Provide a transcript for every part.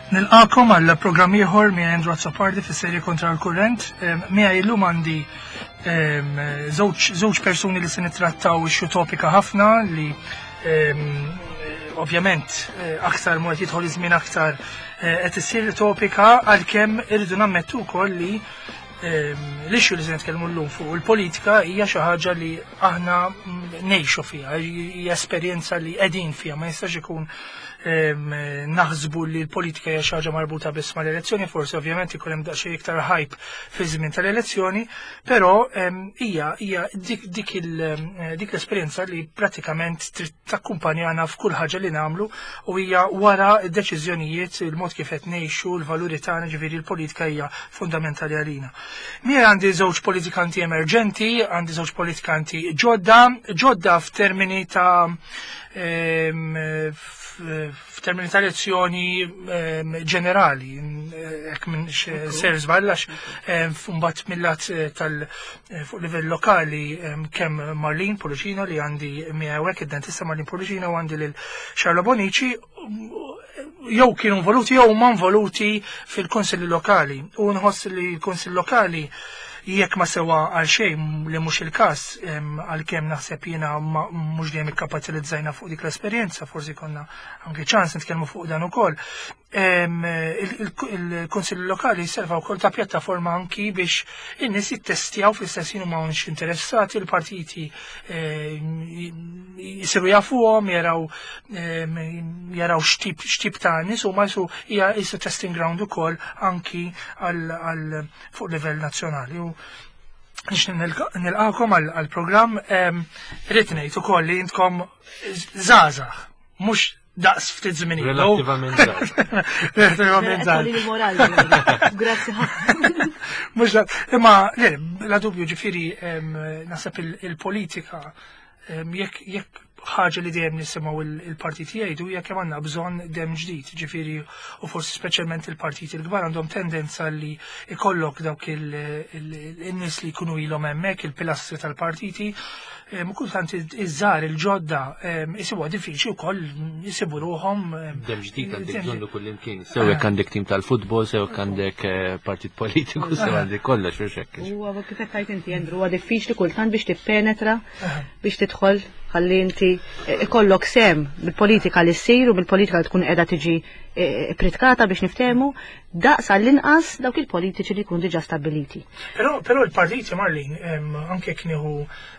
Nilqakom għal programm ieħor minn Andrew Azzopardi fis-serje kontra l-kurrent. Miegħi llum għandi żewġ persuni li se nittrattaw issue topika ħafna li ovvjament eh, aktar mod jidħol iż-żmien aktar eh, qed issir topika għalkemm irridu nammettu wkoll li l-issue li se nitkellmu llum fuq il-politika hija xi ħaġa li aħna ngħixu fiha, hija esperjenza li qegħdin fiha, ma jistax ikun naħsbu li l-politika hija xi ħaġa marbuta biss mal-elezzjoni, forsi ovvjament ikun hemm daqsxejn iktar hype fi żmien tal-elezzjoni, però hija hija dik dik dik l-esperjenza li prattikament trid takkumpanjana f'kull ħaġa li nagħmlu u hija wara d-deċiżjonijiet, il-mod kif qed ngħixu, l-valuri tagħna, ġifieri l-politika hija fundamentali għalina. Miegħi għandi żewġ politikanti emerġenti, għandi żewġ politikanti ġodda, ġodda f'termini ta' f'termini ta' elezzjoni ġenerali, hekk minn ser żball għax mbagħad mill-lat eh, tal eh, fuq livell lokali kemm Marlene Pullicino li għandi miegħu hekk id-dentista Marlene Pullicino u għandi lil Charlo Bonici jew kienu involuti jew huma involuti fil-kunsilli lokali. U nħoss li l-kunsill lokali jekk ma sewa għal xejn li mhux il-każ għalkemm naħseb jiena mhux dejjem ikkapitalizzajna fuq dik l-esperjenza, forsi konna anke ċans nitkellmu fuq dan ukoll. Il-Kunsill Lokali serva wkoll ta' pjattaforma anki biex in-nies jittestjaw fl-istess ħin huma mhux interessati l-partiti eh, jisiru jafuhom, jaraw jaraw x'tip x'tip ta' nies huma jisu hija jisu testing ground ukoll anki għal fuq livell nazzjonali. U nix nilqakom għal-programm rrid ngħid ukoll li intkom żgħażagħ mhux daqs ftit żmien ilu. Relattivament żgħar. Relattivament żgħar. il-moral. Grazzi ħafna. Mhux imma le, la dubju ġifieri naħseb il-politika jekk jekk ħaġa li dejjem nisimgħu il-partiti jgħidu hija kemm għandna bżonn dem ġdid, ġifieri u forsi speċjalment il-partiti l-kbar għandhom tendenza li ikollok dawk il-nies li jkunu ilhom hemmhekk il-pilastri tal-partiti Kultant iż-żgħar il-ġodda isibuha diffiċli wkoll jisibu ruħhom. Dem ġdid għandek bżonnu kullimkien. Sew jekk għandek tim tal-futbol, sew jekk għandek eh, partit politiku, sew għandek kollox u xekk. Huwa kif qed tgħid inti Andrew, huwa diffiċli kultant biex tippenetra biex tidħol ħalli inti eh, ikollok sem bil-politika li ssir u bil-politika li tkun qiegħda tiġi eh, pritkata biex niftehmu daqs għall-inqas dawk il-politiċi li jkunu diġà stabbiliti. Però, però il-partiti, Marlin, anke knieħu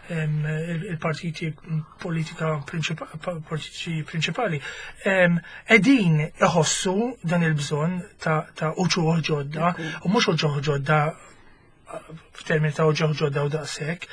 il-partiti politika politiċi prinċipali, edin iħossu dan il-bżonn ta', ta uċuħ ġodda, u mhux uċuħ ġodda f'termini ta' uċuħ ġodda u daqshekk,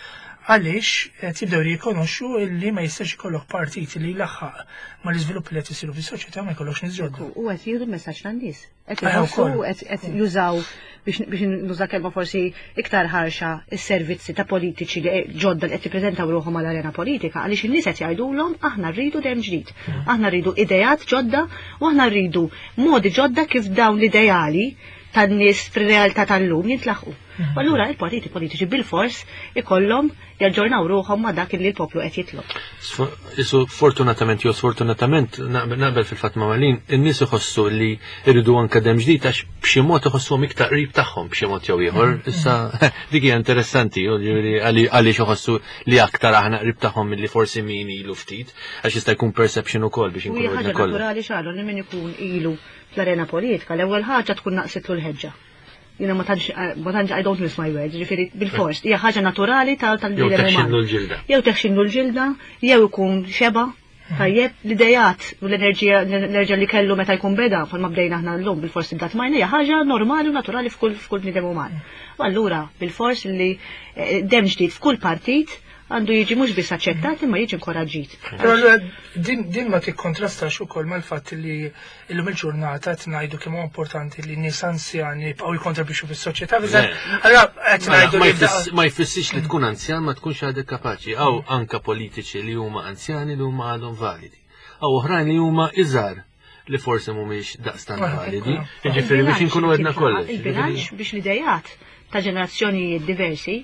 għaliex qed jibdew jirrikonoxxu illi ma jistax ikollok partit li jlaħħaq mal-iżviluppi li qed isiru fis-soċjetà ma jkollokx nies ġodda. U qed jieħdu l-messaġġ tan-nies. Qed iħossu qed jużaw biex nuża kelma forsi iktar ħarxa is-servizzi ta' politiċi li ġodda li qed jippreżentaw ruħhom għall-arena politika għaliex in-nies qed jgħidulhom aħna rridu dem ġdid. Mm. Aħna rridu ideat ġodda u aħna rridu modi ġodda kif dawn l-ideali tan-nies fir-realtà tal-lum jintlaħqu. Mm. U allura il-partiti politiċi bil-fors ikollhom jaġġornaw ruħhom ma' dak li l-poplu qed jitlob. Isu fortunatament jew sfortunatament naqbel fil-fatt ma' Malin, in-nies iħossu li jridu anke dem ġdid għax b'xi mod iħossuhom iktar qrib tagħhom b'xi mod jew ieħor. Mm. Issa dik hija interessanti għaliex iħossu li aktar aħna qrib tagħhom milli forsi min ilu ftit, għax jista' jkun perception ukoll biex inkunu ħaġa naturali xalu li min ikun ilu fl-arena politika l-ewwel ħaġa tkun naqsitlu l-ħeġġa jina ma tantx ma tantx I don't miss my words, ġifieri bil-fors, hija ħaġa naturali tal tal-bniedem uman. l-ġilda. Jew teħxinlu l-ġilda, jew ikun xeba, tajjeb, l-idejat u l-enerġija l-enerġija li kellu meta jkun beda, bħalma bdejna aħna llum bil-fors tibda tmajna hija ħaġa normali u naturali f'kull f'kull bniedem uman. U allura bil-fors li eh, dem ġdid f'kull partit għandu jiġi mhux biss aċċettat imma jiġi inkoraġġit. Però din, din ma tikkontrastax ukoll mal-fatt li illum il-ġurnata qed ngħidu kemm huwa importanti li nies anzjani jibqgħu jikkontribwixxu fis-soċjetà. Allura qed mela, ngħidu li ma jfissirx li tkun anzjan ma tkunx għadek kapaċi. Aw anka politiċi li huma anzjani li huma għadhom validi. Aw oħrajn li huma iżgħar li forsi mhumiex daqstant ah, validi. Jiġifieri biex inkunu għedna kollox. Il-bilanċ biex l-idejat ta' ġenerazzjonijiet diversi.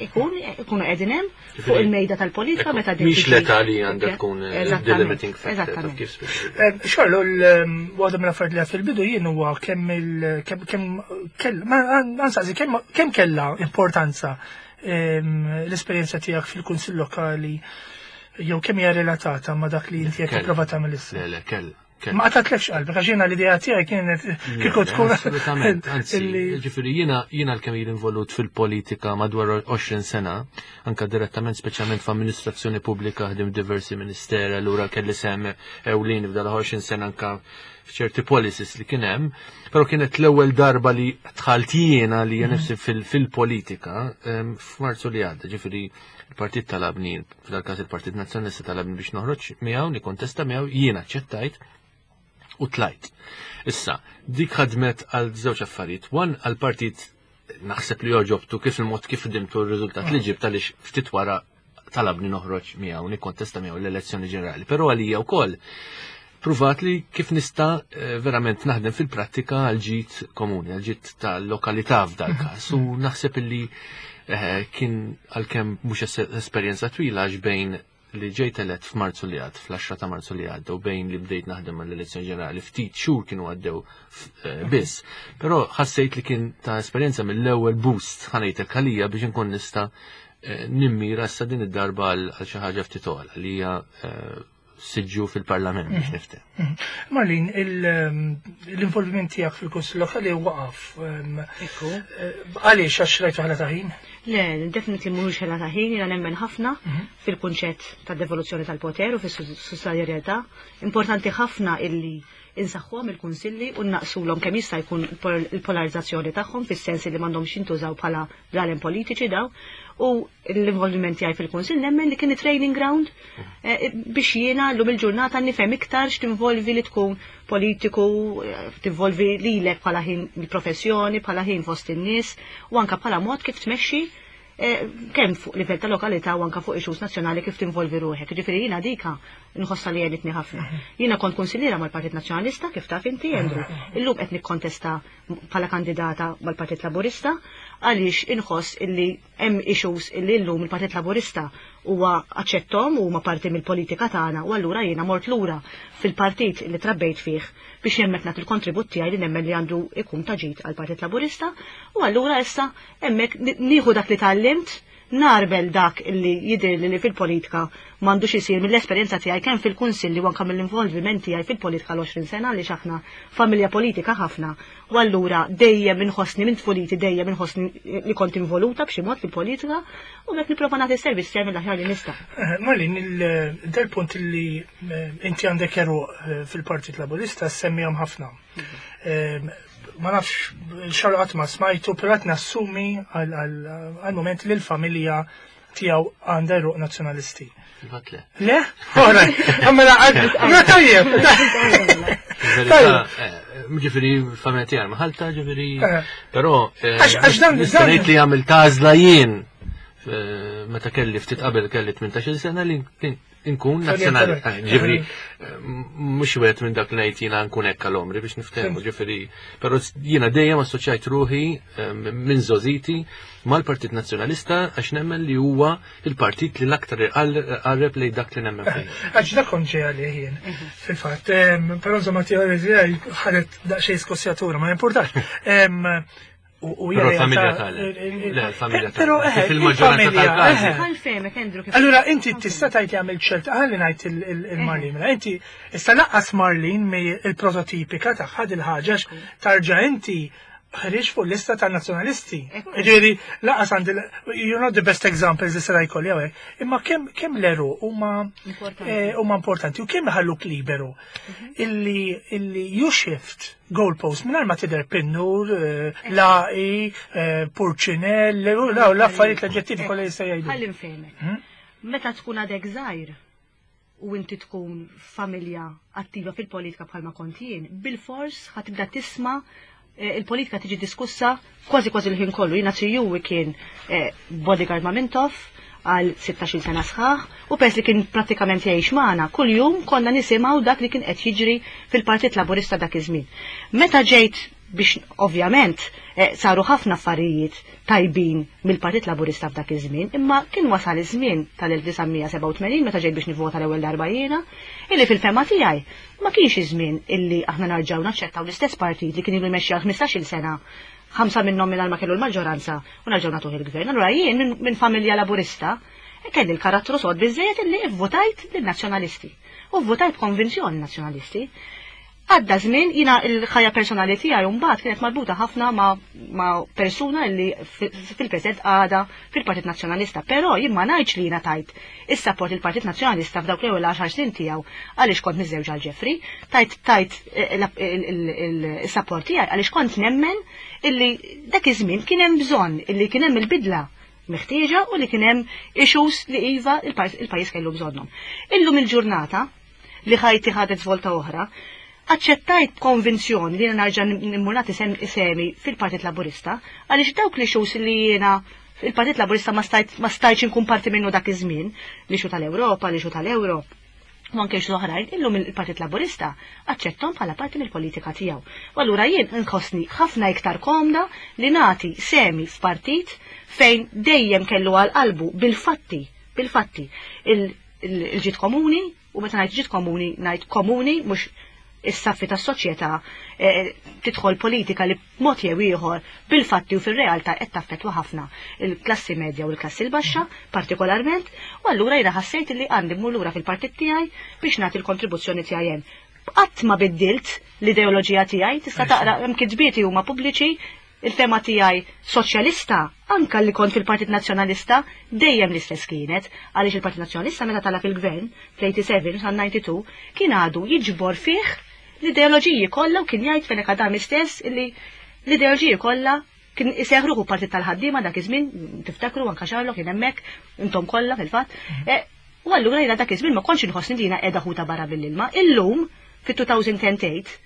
Ikun, ikunu qegħdin hemm fuq il-mejda tal-politika meta din. Mhix l-età li għandha tkun the limiting factor kif eh, Xorlu, waħda mill-affarijiet li fil-bidu jien huwa kemm il kemm kell ma ansaqsi kemm kellha importanza l-esperjenza tiegħek fil-Kunsill Lokali jew kemm hija relatata ma' dak li inti qed tipprova tagħmel issa. Le, le, kell. Ma qatatlekx qalbek għax jiena l-idea tiegħi kienet kieku tkun. Assolutament, anzi, ġifieri jiena jiena l-kemm jien involut fil-politika madwar 20 sena, anka direttament speċjalment f'amministrazzjoni pubblika ħdim diversi ministeri, allura kelli sem ewlieni f'dal 20 sena anka f'ċerti policies li kien hemm, però kienet l-ewwel darba li dħalt jiena li nifsi fil-politika f'Marzu li għadda, ġifieri il-partit talabni, f'dal-każ il-Partit Nazzjonalista talabni biex noħroġ miegħu, nikkontesta miegħu, jiena aċċettajt u tlajt. Issa, dik ħadmet għal żewġ affarijiet. One għal-partit naħseb li joġobtu kif il-mod kif dimtu r-riżultat li ġibt għaliex ftit wara talabni noħroġ miegħu nikkontesta miegħu l-elezzjoni ġenerali. Però għalija wkoll pruvat li kif nista eh, verament naħdem fil-prattika għal ġid komuni, għal ġid tal-lokalità f'dal każ. U naħseb illi eh, kien għalkemm mhux esperjenza twila għax bejn li ġejt elett f'Marzu li għad, fl-10 ta' Marzu li għadda u bejn li bdejt naħdem mal-elezzjoni ġenerali ftit xhur kienu għaddew eh, biss. Però ħassejt li kien ta' esperjenza mill-ewwel boost ħanejtek għalija biex inkun nista' eh, nimmira issa din id-darba għal xi ħaġa ftit ogħla li hija eh, siġġu fil-parlament biex mhm. niftem. Mhm. Marlin, ehm, l-involviment tiegħek fil-Kunsill Lokali waqaf. Ehm, eh, għaliex għax rajtu ħala ta' ħin? Le, definitely mhux ħela ta' ħin, jiena nemmen ħafna mhm. fil-kunċett ta' devoluzzjoni tal-poter u fis-sussidjarjetà. Importanti ħafna illi insaħħuhom il-kunsilli u naqsulhom kemm jista' jkun il-polarizzazzjoni tagħhom fis-sens li m'għandhomx jintużaw bħala blalen politiċi daw u l-involviment tiegħi fil-kunsill nemmen li kien training ground eh, biex jiena llum il-ġurnata nifhem iktar x'tinvolvi li tkun politiku, eh, tinvolvi lilek bħala ħin il-professjoni, bħala ħin fost in-nies u anka bħala mod kif tmexxi eh, kemm fuq livell ta' lokalità u anka fuq issues nazzjonali kif tinvolvi ruħek. Ġifieri jiena dika nħossha li għenitni ħafna. Jiena kont kunsilliera mal-Partit Nazzjonalista kif taf inti Andrew. Illum qed nikkontesta bħala kandidata mal-Partit Laburista għaliex inħoss illi hemm issues illi llum il-Partit Laburista huwa aċċettom u huma parti mill-politika tagħna u allura jiena mort lura fil-partit li trabbejt fih biex hemmhekk nagħti l-kontribut tiegħi li nemmen li għandu jkun ta' ġid għall-Partit Laburista u allura issa hemmhekk nieħu dak li tgħallimt nagħrbel dak illi jidhirli li fil-politika m'għandux isir mill-esperjenza tiegħi kemm fil-kunsilli u anke mill-involviment tiegħi fil-politika l-20 sena għaliex aħna familja politika ħafna u allura dejjem inħossni minn tfuliti dejjem inħossni li kont involuta b'xi mod fil-politika u b'hekk nipprova nagħti s-servizz tiegħi mill-aħjar li nista'. Eh, Marlin, dal-punt li eh, inti għandek eruq eh, fil-Partit Laburista semmihom ħafna. Mhm. Ma nafx xar qatt ma smajtu, però qed nassumi għal-moment li l-familja tiegħu għandha eruq nazzjonalisti. Fil-fatt le. Le? Ora, mela mela tajjeb. Tajjeb. Eh, ġifieri familja tiegħi maħalta, ġifieri. Eh. Però eh, għax dan ngħid li għamil tażla jien meta kelli ftit qabel kelli 18 sena li nkun nazzjonali. Eh, ġifri, eh, mhux wieħed minn dak li ngħid jiena nkun hekk għal omri biex niftehmu, ġifri, però jiena dejjem assoċjajt ruħi eh, minn żożiti mal-Partit Nazzjonalista għax nemmen li huwa il-partit li l-aktar qarreb lejn dak li nemmen fih. Għax dak kont ġej għalih jien. Fil-fatt, però insomma teorija ħadet daqsxejn skossjatura, ma importax. U Però l-familja tal. Le, l-familja tal. Però eh, fil-maġġoranza tal-każi. Eh. Allura inti tista' tgħid li għamilt ċert ħalli ngħid il-Marlin. Mela inti issa laqqas Marlin mi il-prototipika tagħha dil-ħaġa tarġa' inti ħriġ fuq lista ta' nazzjonalisti. Ġifieri laqas għandi you're not the best examples li seta' jkolli hawnhekk. Imma kemm kemm l-eru huma eh, huma importanti u kemm iħalluk liberu mhm. illi illi you shift goalpost mingħajr ma tidher pinnur, eh, laqi, eh, purċinell, l-affarijiet l-aġġettivi kollha jista' jgħidu. Ħalli nfehmek. Hmm? Meta tkun għadek żgħir u inti tkun familja attiva fil-politika bħalma kont jien, bil-fors ħatibda tisma' eh, il-politika tiġi diskussa kważi kważi l-ħin kollu. Jiena tijuwi kien bodyguard ma' Mintoff, għal 16 sena sħaħ u pers li kien prattikament jgħix magħna, kuljum konna nisimgħu dak li kien qed jiġri fil-Partit Laburista dak iż-żmien. Meta ġejt Biex ovvjament saru ħafna affarijiet tajbin mill-Partit Laburista f'dak iż-żmien, imma kien wasal iż-żmien tal-1987 meta ġejt biex nivvota l-ewwel darba jiena, illi fil-fehma tiegħi ma kienx iż-żmien illi aħna narġgħu naċċettaw l-istess partit li kien ilu jmexxi għal 15-il sena, ħamsa minnhom mingħajr ma kellu l-maġġoranza u narġgħu nagħtuh il-gvern. Allura jien minn familja Laburista kelli l-karattru sod biżżejjed illi vvotajt lin-Nazzjonalisti. U vvotajt b'konvinzjoni Nazzjonalisti. Għadda żmien, jiena l-ħajja personali tiegħi mbagħad kienet marbuta ħafna ma', ma persuna li fil-preżent għada fil-Partit Nazzjonalista, però jien ma ngħidx li jiena tajt is-sapport il-Partit Nazzjonalista f'dawk l-ewwel 10 snin tiegħu għaliex kont miżżewġa għal Jeffrey, tajt tajt is-sapport tiegħi għaliex kont nemmen illi dak iż-żmien kien hemm bżonn illi kien hemm il-bidla meħtieġa u li kien hemm issues li iva il-pajjiż kellu bżonnhom. Illum il-ġurnata li ħajti ħadet svolta oħra, aċċettajt b'konvinzjoni li jiena narġa' immur nagħti sehmi fil-Partit Laburista għaliex dawk l-issues li jiena il-Partit Laburista ma stajt ma stajtx inkun parti minnu dak iż-żmien, l-issue tal-Ewropa, l-issue tal-Euro, u anke issues oħrajn, illum il-Partit Laburista aċċetthom bħala parti mill-politika tiegħu. U allura jien nħossni ħafna iktar komda li nagħti sehmi f'partit fejn dejjem kellu għal qalbu bil-fatti, bil-fatti, il-ġid komuni, u meta ngħid ġid komuni ngħid komuni mhux is-saffi tas-soċjetà eh, tidħol politika li b'mod jew ieħor bil-fatti u fir-realtà qed taffettwa ħafna il-klassi medja u l-klassi l-baxxa partikolarment, u allura jiena ħassejt li għandi mmur lura fil-partit tiegħi biex nagħti l-kontribuzzjoni tiegħi hemm. Qatt ma biddilt l-ideoloġija tiegħi, tista' taqra hemm kitbieti huma pubbliċi Il-fehma tiegħi soċjalista, anke li kont fil-Partit Nazzjonalista, dejjem l-istess kienet, għaliex il-Partit Nazzjonalista meta tala' fil-Gvern fl-87 sa 92 kien għadu jiġbor fih l-ideoloġiji kollha u kien jgħid Fenech Adami stess illi l-ideoloġiji kollha kien iseħħ ruħu Partit tal-Ħaddiema dak iż-żmien, tiftakru anke Charlo kien hemmhekk, intom kollha fil-fatt. E, u allura jiena dak iż-żmien ma kontx inħossni li jiena qiegħda ħuta barra mill-ilma. Illum fit-2008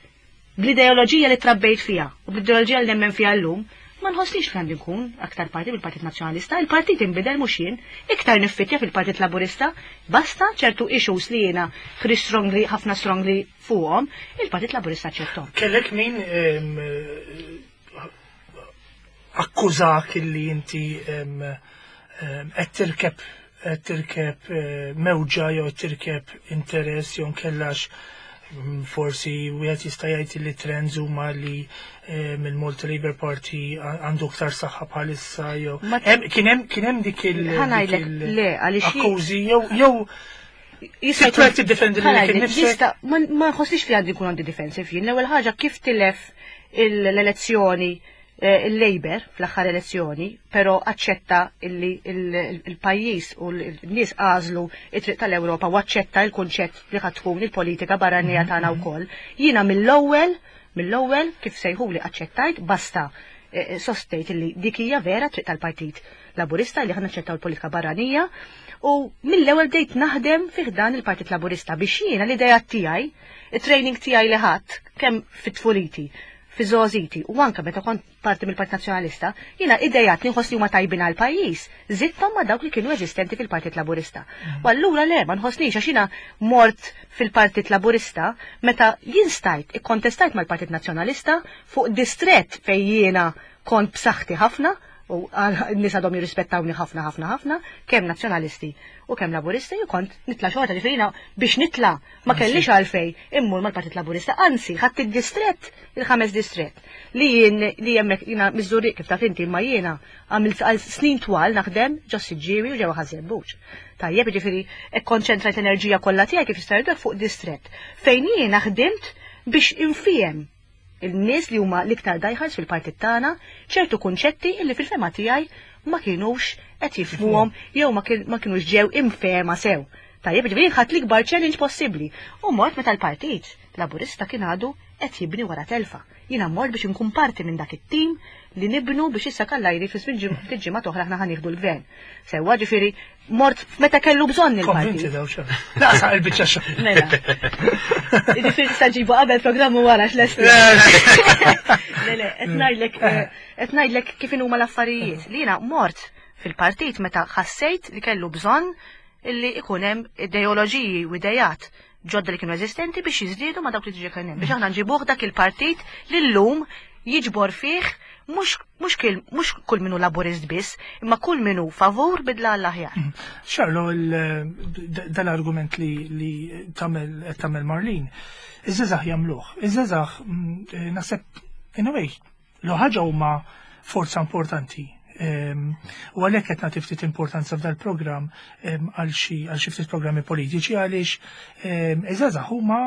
Bl-ideoloġija li trabbejt fiha u bl-ideoloġija li nemmen fiha llum, ma nħossnix li għandi nkun aktar parti mill-Partit Nazzjonalista, il-partit inbidel mhux jien, iktar niffittja fil-Partit Laburista, basta ċertu issues li jiena ħriġt strongly, ħafna strongly fuqhom, il-Partit Laburista aċċetthom. Kellek min akkużak illi inti qed tirkeb qed tirkeb eh, mewġa jew qed tirkeb interess jew nkellax mm, forsi wieħed jista' jgħid li trends huma li eh, mill-Malta Labour Party għandu aktar saħħa bħalissa jew kien hemm kien hemm dik il le għaliex akkużi jew jew Jista' jkun tiddefendi lilek innifsek. Ma nħossix li għandi nkun għandi defensive jien. L-ewwel ħaġa kif tilef l-elezzjoni eh, il-Labour fl-aħħar elezzjoni, però aċċetta illi il-pajjiż u l-nies għażlu it-triq tal-Ewropa u aċċetta il-kunċett li ħad tkun il-politika barranija mhm. tagħna wkoll. Jiena mill-ewwel mill-ewwel kif sejħuli aċċettajt basta eh, sostejt illi dik hija vera triq tal-Partit Laburista li ħa naċċettaw il-politika barranija u mill-ewwel bdejt naħdem fih dan il-Partit Laburista biex jiena l-idea tiegħi, it-training tiegħi li ħadd kemm fit-tfuliti fi żgħożiti u anke meta kont parti mill-Partit Nazzjonalista, jiena idejat li nħoss li huma tajbin għall-pajjiż, żidthom ma' dawk li kienu eżistenti fil-Partit Laburista. U allura le, ma nħossnix għax jiena mort fil-Partit Laburista meta jien stajt ikkontestajt mal-Partit Nazzjonalista fuq distrett fejn jiena kont b'saħħti ħafna u n-nies għadhom jirrispettawni ħafna ħafna ħafna, kemm Nazzjonalisti u kemm Laburisti, u kont nitla' xorta ġifieri jiena biex nitla' ma kellix għalfejn immur mal-Partit Laburista, anzi ħadt id-distrett, il-ħames distrett, li jien li hemmhekk jiena miż-Żurrieq kif taf inti imma jiena għamilt għal snin twal naħdem ġo Siġġiewi u ġewwa Ħaż-Żebbuġ. Tajjeb, jiġifieri kkonċentrajt l-enerġija kollha tiegħi kif jista' jgħidulek fuq distrett fejn jiena ħdimt biex infiehem il-nies li huma l-iktar diehards fil-partit tagħna ċertu kunċetti illi fil-fehma tiegħi ma kinux qed jifhmuhom jew ma kinux ġew imfehma sew. Tajjeb, ġifieri ħadt l-ikbar challenge possibbli u mort meta l-Partit Laburista kien għadu qed jibni wara telfa. Jiena mort biex inkun parti minn dak it-tim li nibnu biex issa kallajri fi żmien ftit ġimgħat oħra aħna ħa nieħdu l-gvern. Sewwa ġifieri mort meta kellu bżonn il-partit. Konvinti daw xa. Laqsa il-biċċa xa. Mela. Ġifieri tista' ġibu qabel programm u wara x'lesti. Le le, qed ngħidlek eh, qed ngħidlek kif inhuma l-affarijiet. Li jiena mort fil-partit meta ħassejt li kellu bżonn illi ikun hemm ideoloġiji u idejat ġodda li kienu eżistenti biex jiżdiedu ma' dawk li diġà kien hemm biex aħna nġibuh dak il-partit li llum jiġbor fih mhux mhux kil mhux kull min hu Laburist biss, imma kull min hu favur bidla għall-aħjar. Xarlo, dal-argument li li tagħmel qed tagħmel Marlene, iż-żgħażagħ jagħmluh. Iż-żgħażagħ naħseb in a way, l ħaġa huma forza importanti. U għalhekk qed nagħti ftit importanza f'dal-programm għal xi għal xi ftit programmi politiċi għaliex iż-żgħażagħ huma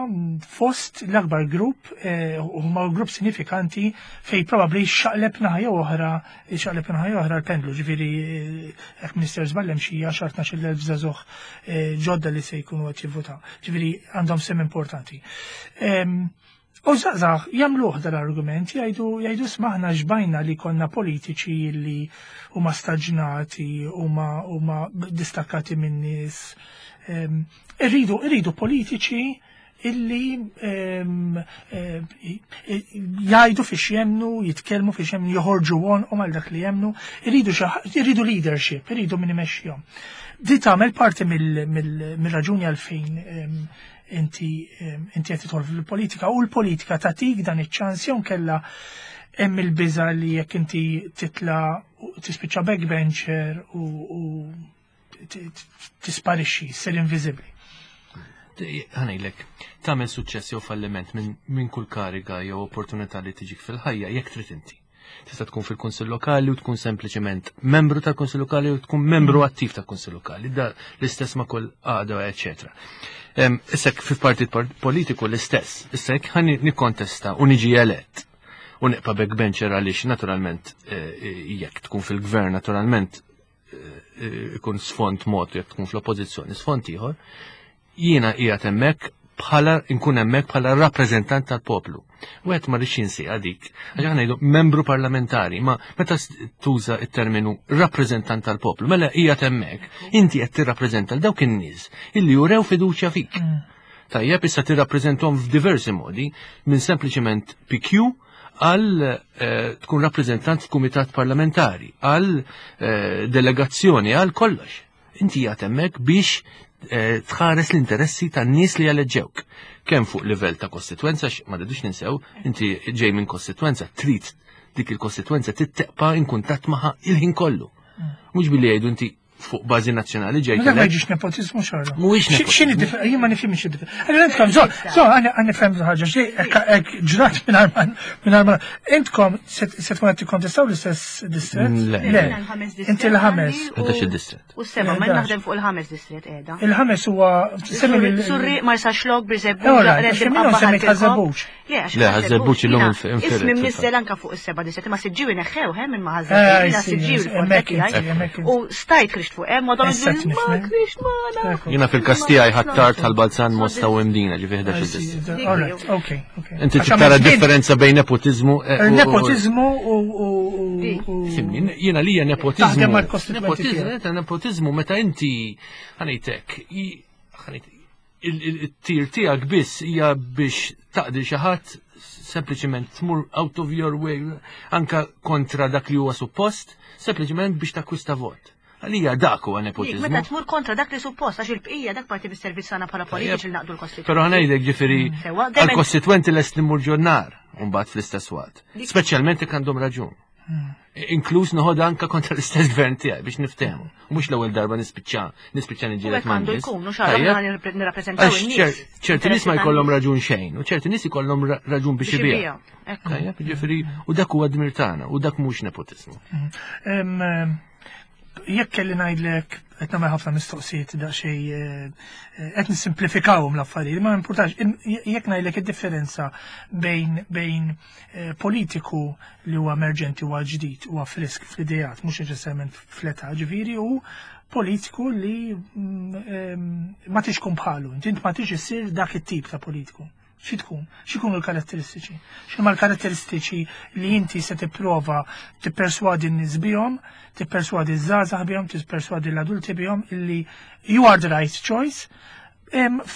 fost l-akbar grupp eh, huma grupp sinifikanti fej probabbli xaqleb naħa jew oħra xaqleb naħa jew oħra l-pendlu ġifieri eh, hekk Minister żball hemm xi 10 12 żagħżugħ eh, ġodda li se jkunu qed jivvutaw. Ġifieri għandhom sem importanti. U żgħażagħ jagħmluh dal-argument, jgħidu jgħidu smaħna xbajna li konna politiċi li huma staġnati, huma huma distakkati min-nies. Irridu irridu politiċi illi jgħidu fiex jemnu, jitkellmu fiex jemnu, joħorġu u mal dak li jemnu, irridu irridu leadership, irridu min imexxihom. Di tagħmel parti mill-raġuni għalfejn inti inti qed tidħol fil-politika u l-politika tagħtik dan iċ-ċans jew kella hemm il-biża li jekk inti titla tispiċċa backbencher u tisparixxi, ssir inviżibbli. Ħanejlek, tagħmel suċċess jew falliment minn kull kariga jew opportunità li tiġik fil-ħajja jekk trid inti. Tista' tkun fil-Kunsill Lokali u tkun sempliċement membru tal-Kunsill Lokali u tkun membru attiv tal-Kunsill Lokali, da l-istess ma' kull għaqda, eċetera. Issa fi partit politiku l-istess, issa jekk ħa nikkontesta u niġi elett u nibqa' backbencher għaliex naturalment eh, jekk tkun fil-gvern naturalment eh, ikun sfond mod jekk tkun fl-oppożizzjoni sfond ieħor, jiena qiegħed hemmhekk bħala nkun hemmhekk bħala rappreżentant tal-poplu. Wieħed ma rridx jinsiha dik. Għax aħna ngħidu membru parlamentari, ma meta tuża t-terminu rappreżentant tal-poplu, mela qiegħed hemmhekk, inti qed tirrappreżenta l dawk in-nies illi jurew fiduċja fik. Tajjeb issa tirrappreżenthom f'diversi modi, minn sempliċement PQ għal eh, tkun rappreżentant f'kumitat parlamentari, għal eh, delegazzjoni, għal kollox. Inti qiegħed hemmhekk biex eh, tħares l-interessi tan-nies li jaleġġewk. Kemm fuq livell ta' kostitwenza, ma rridux ninsew, inti ġej minn kostitwenza, trid dik il-kostitwenza titteqpa in kuntatt magħha il-ħin kollu. Mhux billi jgħidu inti fuq bażi nazzjonali ġejt. Ma jiġix nepotizmu xorta. Mhuwiex nepotizmu. X'inhi differenza? Jien ma nifhimx id-differenza. Allura intkom, so, so għandi nifhem ħaġa, xi hekk ġrat mingħajr ma intkom se tkun qed tikkontestaw l-istess distret? Le. Inti l-ħames. Ħdax il-distret. U seba, ma naħdem fuq il-ħames distret qiegħda. Il-ħames huwa semmi Surri Marsa Xlok Birżebbuġ, Minnhom semmejt Ħażebbuġ. Le, Ħażebbuġ illum infired. Ismi mniżżel anka fuq is-seba' distret, imma Siġġiewi neħħew he minn ma Ħażebbuġ, jiena Siġġiewi l-forte tiegħi. U stajt krixt fuq hemm, ma dan ma krixt magħna. Jiena fil-każ tiegħi ħattart ħal-Balzan Mosta u Mdina, ġifi 11 distret. Ok, ok. Inti tara differenza bejn nepotizmu eh, Nepotizmu u. Simni, jiena li hija nepotizmu. Taħdem mal-kostituenti. Nepotizmu meta inti ħanejtek, il-tir tiegħek biss hija biex taqdi xi ħadd sempliċement tmur out of your way anka kontra dak li huwa suppost, sempliċement biex takkwista vot. Għalija dak huwa nepotiżmu. Meta tmur kontra dak li suppost għax il-bqija dak parti bis-servizz tagħna bħala politiċi li naqdu l-kostituenti. Però ħanejdlek ġifieri mm. għall-kostitwenti lest li mmur ġonnar mbagħad fl-istess waqt. Speċjalment jekk għandhom raġun. Inkluż noħod anka kontra l-istess gvern tiegħi biex niftehmu. Mhux l-ewwel darba nispiċċa, nispiċċa niġġieled ma' nies. Għandu jkun, nirrappreżentaw in-nies. Ċerti nies ma jkollhom raġun xejn, u ċerti nies ikollhom raġun biex ibija. Tajjeb, ġifieri, u dak huwa dmir tagħna, u dak mhux nepotiżmu. Mm. Jekk kelli ngħidlek qed nagħmel ħafna mistoqsijiet daqsxejn eh, eh, qed nissimplifikawhom l-affarijiet, ma importax jekk ngħidlek id-differenza bejn bejn eh, politiku li huwa emerġenti huwa ġdid huwa frisk fl-ideat mhux neċessarjament fl-età ġifieri u politiku li mm, ma tix tkun bħalu, inti ma tix issir dak it-tip ta' politiku. Xi tkun? X'ikunu l-karatteristiċi? X'inhuma l-karatteristiċi li inti se tipprova tipperswadi n-nies bihom, tipperswadi ż-żgħażagħ bihom, tipperswadi l-adulti bihom illi you are the right choice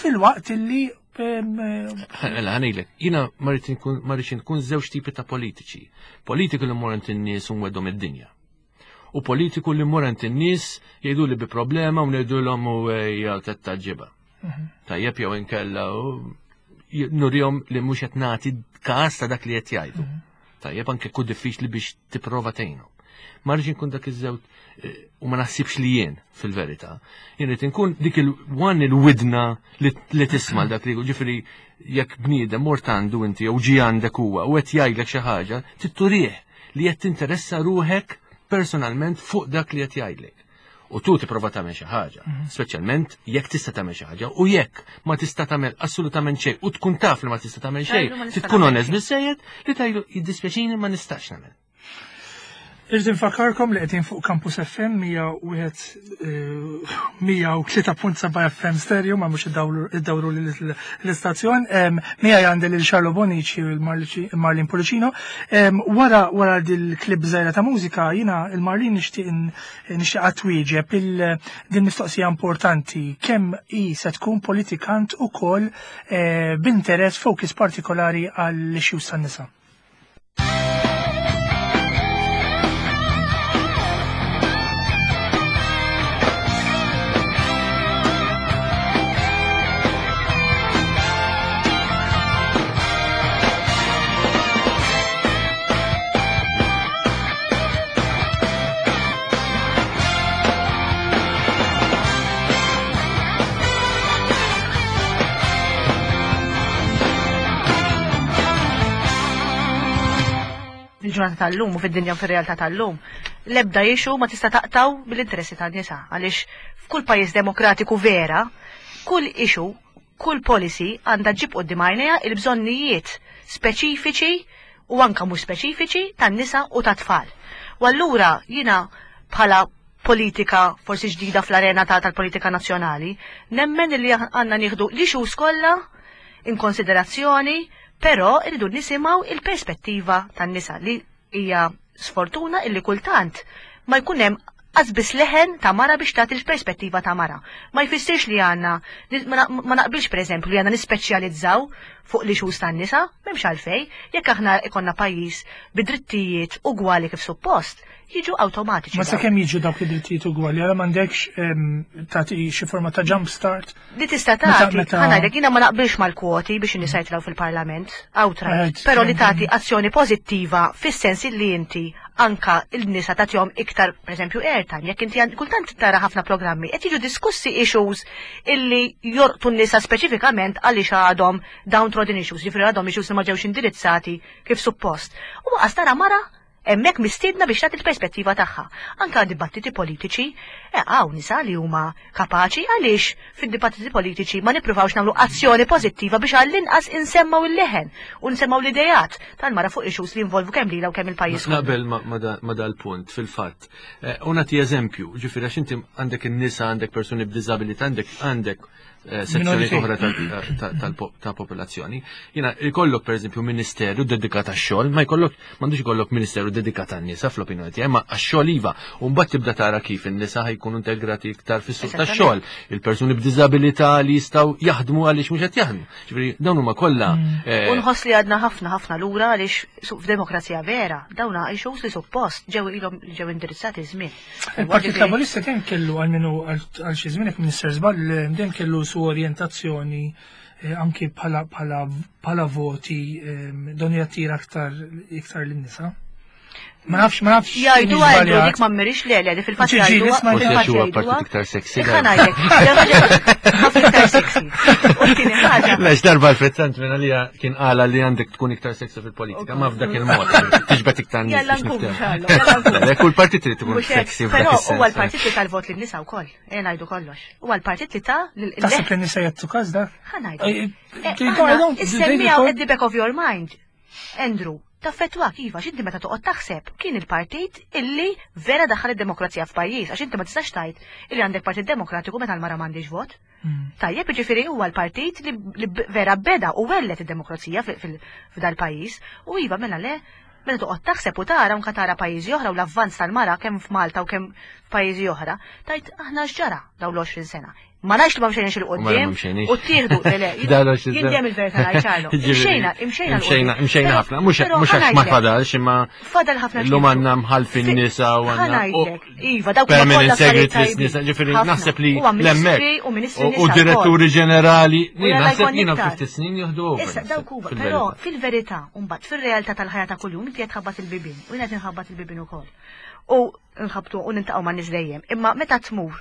fil-waqt illi Mela, ħanejlek, jina ma rridx nkun żewġ tipi ta' politiċi. Politiku li mmur in-nies u nweddhom id-dinja. U politiku li mmur in-nies jgħidu li bi problema u ngħidulhom u ejja taġġiba. Mhm. Tajjeb jew inkella u nurihom li mhux qed nagħti każ ta' dak li qed jgħidu. Mhm. Tajjeb anke ku diffiċli biex tipprova tgħinhom. Ma rridx inkun dak iż-żewġ eh, u ma naħsibx li jien fil-verità. Jien rrid inkun dik il-one il-widna li tisma' dak li ġifieri jekk bniedem mort għandu inti jew ġie għandek huwa u qed jgħidlek xi ħaġa, titturih li qed tinteressa ruħek personalment fuq dak li qed jgħidlek. U tu tipprova tagħmel xi ħaġa, mhm. speċjalment jekk tista' tagħmel xi ħaġa u jekk ma tista' tagħmel assolutament xejn u tkun taf li ma tista' tagħmel xejn, tkun onest biżejjed li tgħidu jiddispjaċini ma nistax nagħmel. Irrid infakkarkom li qegħdin fuq Campus FM 103.7 eh, FM stereo ma mhux iddawru l-istazzjon. Miegħi għandi lil Charlo Bonici u l-Marlin Pullicino. Wara wara dil-klib żgħira ta' mużika jiena il-Marlin nixtieq nixtieq twieġeb din mistoqsija importanti kemm hi se tkun politikant ukoll eh, b'interess focus partikolari għall-issues tan-nisa. Fil-ġurnata tal-lum u fid-dinja u fir-realtà tal-lum, l-ebda issue ma tista' taqtaw bil-interessi tan-nisa għaliex f'kull pajjiż demokratiku vera, kull issue, kull policy għandha ġġib quddiem għajnejha il-bżonnijiet speċifiċi u anka mhux speċifiċi tan-nisa u tat-tfal. U allura jiena bħala politika forsi ġdida fl-arena tal-politika nazzjonali, nemmen li għandna nieħdu l-issues kollha in konsiderazzjoni, però irridu nisimgħu il-perspettiva tan-nisa li hija sfortuna illi kultant ma jkun hemm biss leħen ta' mara biex tagħti l-perspettiva ta' mara. Ma jfissirx li għandna ma naqbilx pereżempju li għandna nispeċjalizzaw fuq l-issues tan-nisa, m'hemmx għalfej, jekk aħna ikonna pajjiż bi drittijiet ugwali kif suppost, jiġu awtomatiċi. Ma sakemm jiġu dawk id-drittijiet ugwali, għala m'għandekx tagħti xi forma ta' jump start. Li tista' tagħti, ħa jiena ma naqbilx mal-kwoti biex in-nisa jitilgħu fil-Parlament, outright, però li tagħti azzjoni pożittiva fis-sens li inti anka il-nisa tagħtihom iktar, pereżempju, airtime, jekk inti kultant tara ħafna programmi qed jiġu diskussi issues illi jorqtu n-nisa speċifikament għaliex għadhom downtrodden issues, jiġifieri għadhom issues li ma ġewx indirizzati kif suppost. U waqas tara mara hemmhekk mistiedna biex tagħti l-perspettiva tagħha. Anka dibattiti politiċi, eh, hawn nisa li huma kapaċi għaliex fid-dibattiti politiċi ma nippruvawx nagħmlu azzjoni pożittiva biex għall-inqas insemmaw il-leħen u nsemmaw l-idejat tal-mara fuq issues li jinvolvu kemm lilha u kemm il-pajjiż. Naqbel ma dal-punt fil-fatt. Eh, u nagħti eżempju, ġifieri għax inti għandek in-nisa, għandek persuni b'diżabilità, għandek għandek Eh, sezzjoni oħra ta' popolazzjoni. Jina, jkollok per eżempju ministeru dedikat għax-xogħol, ma jkollok m'għandux ikollok ministeru dedikat għan-nisa fl-opinjoni tiegħi, ma għax-xogħol iva. U mbagħad tibda tara kif in-nisa ħajkunu integrati iktar fis-suq tax-xogħol, il-persuni b'diżabilità li jistgħu jaħdmu għaliex mhux qed jaħdmu. Ġifieri dawn huma kollha. Mm. Eh, u nħoss li għadna ħafna ħafna lura għaliex f'demokrazija vera, dawna issues li suppost ġew ilhom ġew indirizzati żmien. Il-Partit Laburista dejjem kellu għal minnu għal xi żmien jekk minister żball dejjem kellu su orjentazzjoni eh, anki bħala voti eh, don jattira aktar iktar lin-nisa. Ma nafx, ma nafx. Jgħidu għajdu dik ma mmirix le, le, fil-fatt jgħidu. Forsi għax huwa partit iktar sexy. Ħanajlek, ħafna iktar sexy. U t-tieni ħaġa. Lex darba Alfred Sant minn għalija kien qala li għandek tkun iktar sexy fil-politika, ma f'dak il-mod. Tiġbed iktar nies. Jalla nkun, jalla Kull partit trid tkun sexy. Però huwa l-partit li tal-vot lin-nisa wkoll, ejja ngħidu kollox. Huwa l-partit li ta' Taħseb li nisa jagħtu każ dak? Ħanajdu. Issemmiha at the back of your mind. Andrew, taffettwak iva, x'inti meta toqgħod taħseb kien il-partit illi vera daħħal id-demokrazija f'pajjiż, għax inti ma tistax tgħid illi għandek partit demokratiku meta l-mara m'għandix vot. Hmm. Tajjeb, ġifieri huwa l-partit li vera beda u wellet id-demokrazija f'dal-pajjiż u iva mela le meta toqgħod taħseb u tara anke tara pajjiżi oħra u l-avvanz tal-mara kemm f'Malta u kemm f'pajjiżi oħra, tajt aħna x'ġara dawn l-20 sena. Ma ngħidx li ma mxejniex 'il quddiem u ttieħdu le jien dejjem il-verità ngħid Charlo. Imxejna, imxejna. Imxejna, imxejna ħafna, mhux mhux għax ma fadalx imma fadal ħafna. Illum għandna mħalfin nisa u għandna. Iva, dawk permanent secretaries nisa, ġifieri naħseb li l-hemmhekk u diretturi ġenerali, naħseb jiena ftit snin jieħdu over. Issa dawk huwa, però fil-verità mbagħad fir-realtà tal-ħajja ta' kuljum inti qed tħabbat il-bibien u jiena qed inħabbat il-bibien ukoll. U nħabbtu u nintaqgħu ma' nies dejjem. Imma meta tmur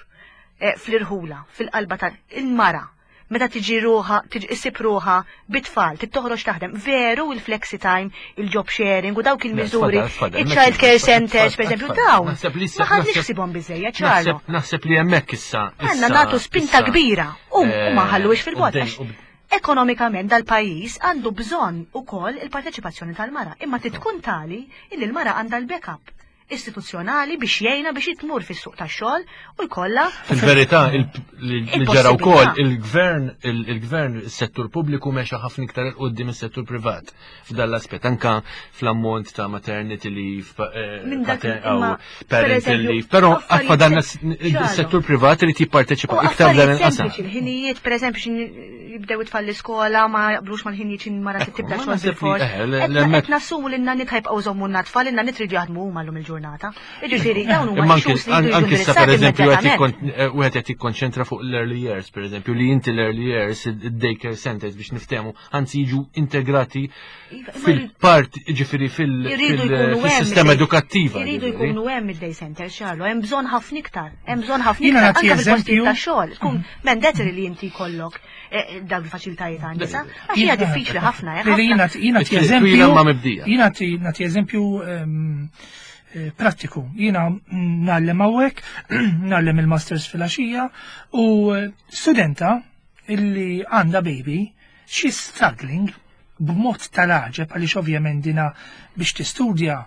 eh, fl-irħula, fil-qalba ta' il-mara, meta tiġi ruħa, tiġi issib ruħa bit-tfal, tittoħroġ taħdem, veru il-flexi time, il-job sharing u dawk il-miżuri, il-child care centers, per eżempju, dawn. Ma ħadniex ħsibhom biżejjed, ċarlo. Naħseb li hemmhekk issa. Għandna nagħtu spinta kbira u ma ħalluhiex fil-bot. Ekonomikament dal-pajjiż għandu bżonn ukoll il-parteċipazzjoni tal-mara, imma titkun tali illi l-mara għandha l-backup istituzzjonali biex jgħinha biex tmur fis-suq tax-xogħol u jkollha. Fil-verità, li ġara wkoll il-gvern, il-gvern, is-settur pubbliku mexa ħafna iktar 'il quddiem is-settur privat f'dan l-aspett, anka fl-ammont ta' maternity leave, eh, parental leave, però għatfa dan is-settur privat irid jipparteċipa iktar f'dan il-qasam. Il-ħinijiet, pereżempju, jibdew it-tfal l-iskola ma jaqblux mal-ħinijiet x'in mara tibda xogħol bil-fors. Qed nassumu li n-nanniet ħajbqgħu jżommu n-tfal, in-nanniet ridu jaħdmu huma llum il-ġurnata. Jiġifieri dawn huma issues li jridu Anki issa pereżempju eh, wieħed qed jikkonċentra fuq l-early years, pereżempju li inti l-early years id-daycare centers biex niftehmu, anzi jiġu integrati iva, fil-part, ġifieri fil-sistema edukattiva. Iridu jkunu hemm id-day centers, xarlu, hemm bżonn ħafna iktar, hemm bżonn ħafna iktar anke fil-postijiet ta' xogħol. Tkun mhm. mandatory li inti jkollok eh, dawk il-faċilitajiet għan nisa, għax hija diffiċli ħafna. Eh, jiena nagħti eżempju. Jiena nagħti eżempju ehm, eh, prattiku. Jiena ngħallem hawnhekk, ngħallem il-masters fil-għaxija u studenta illi għandha baby, she's struggling b'mod tal-għaġeb għaliex ovvjament dina biex tistudja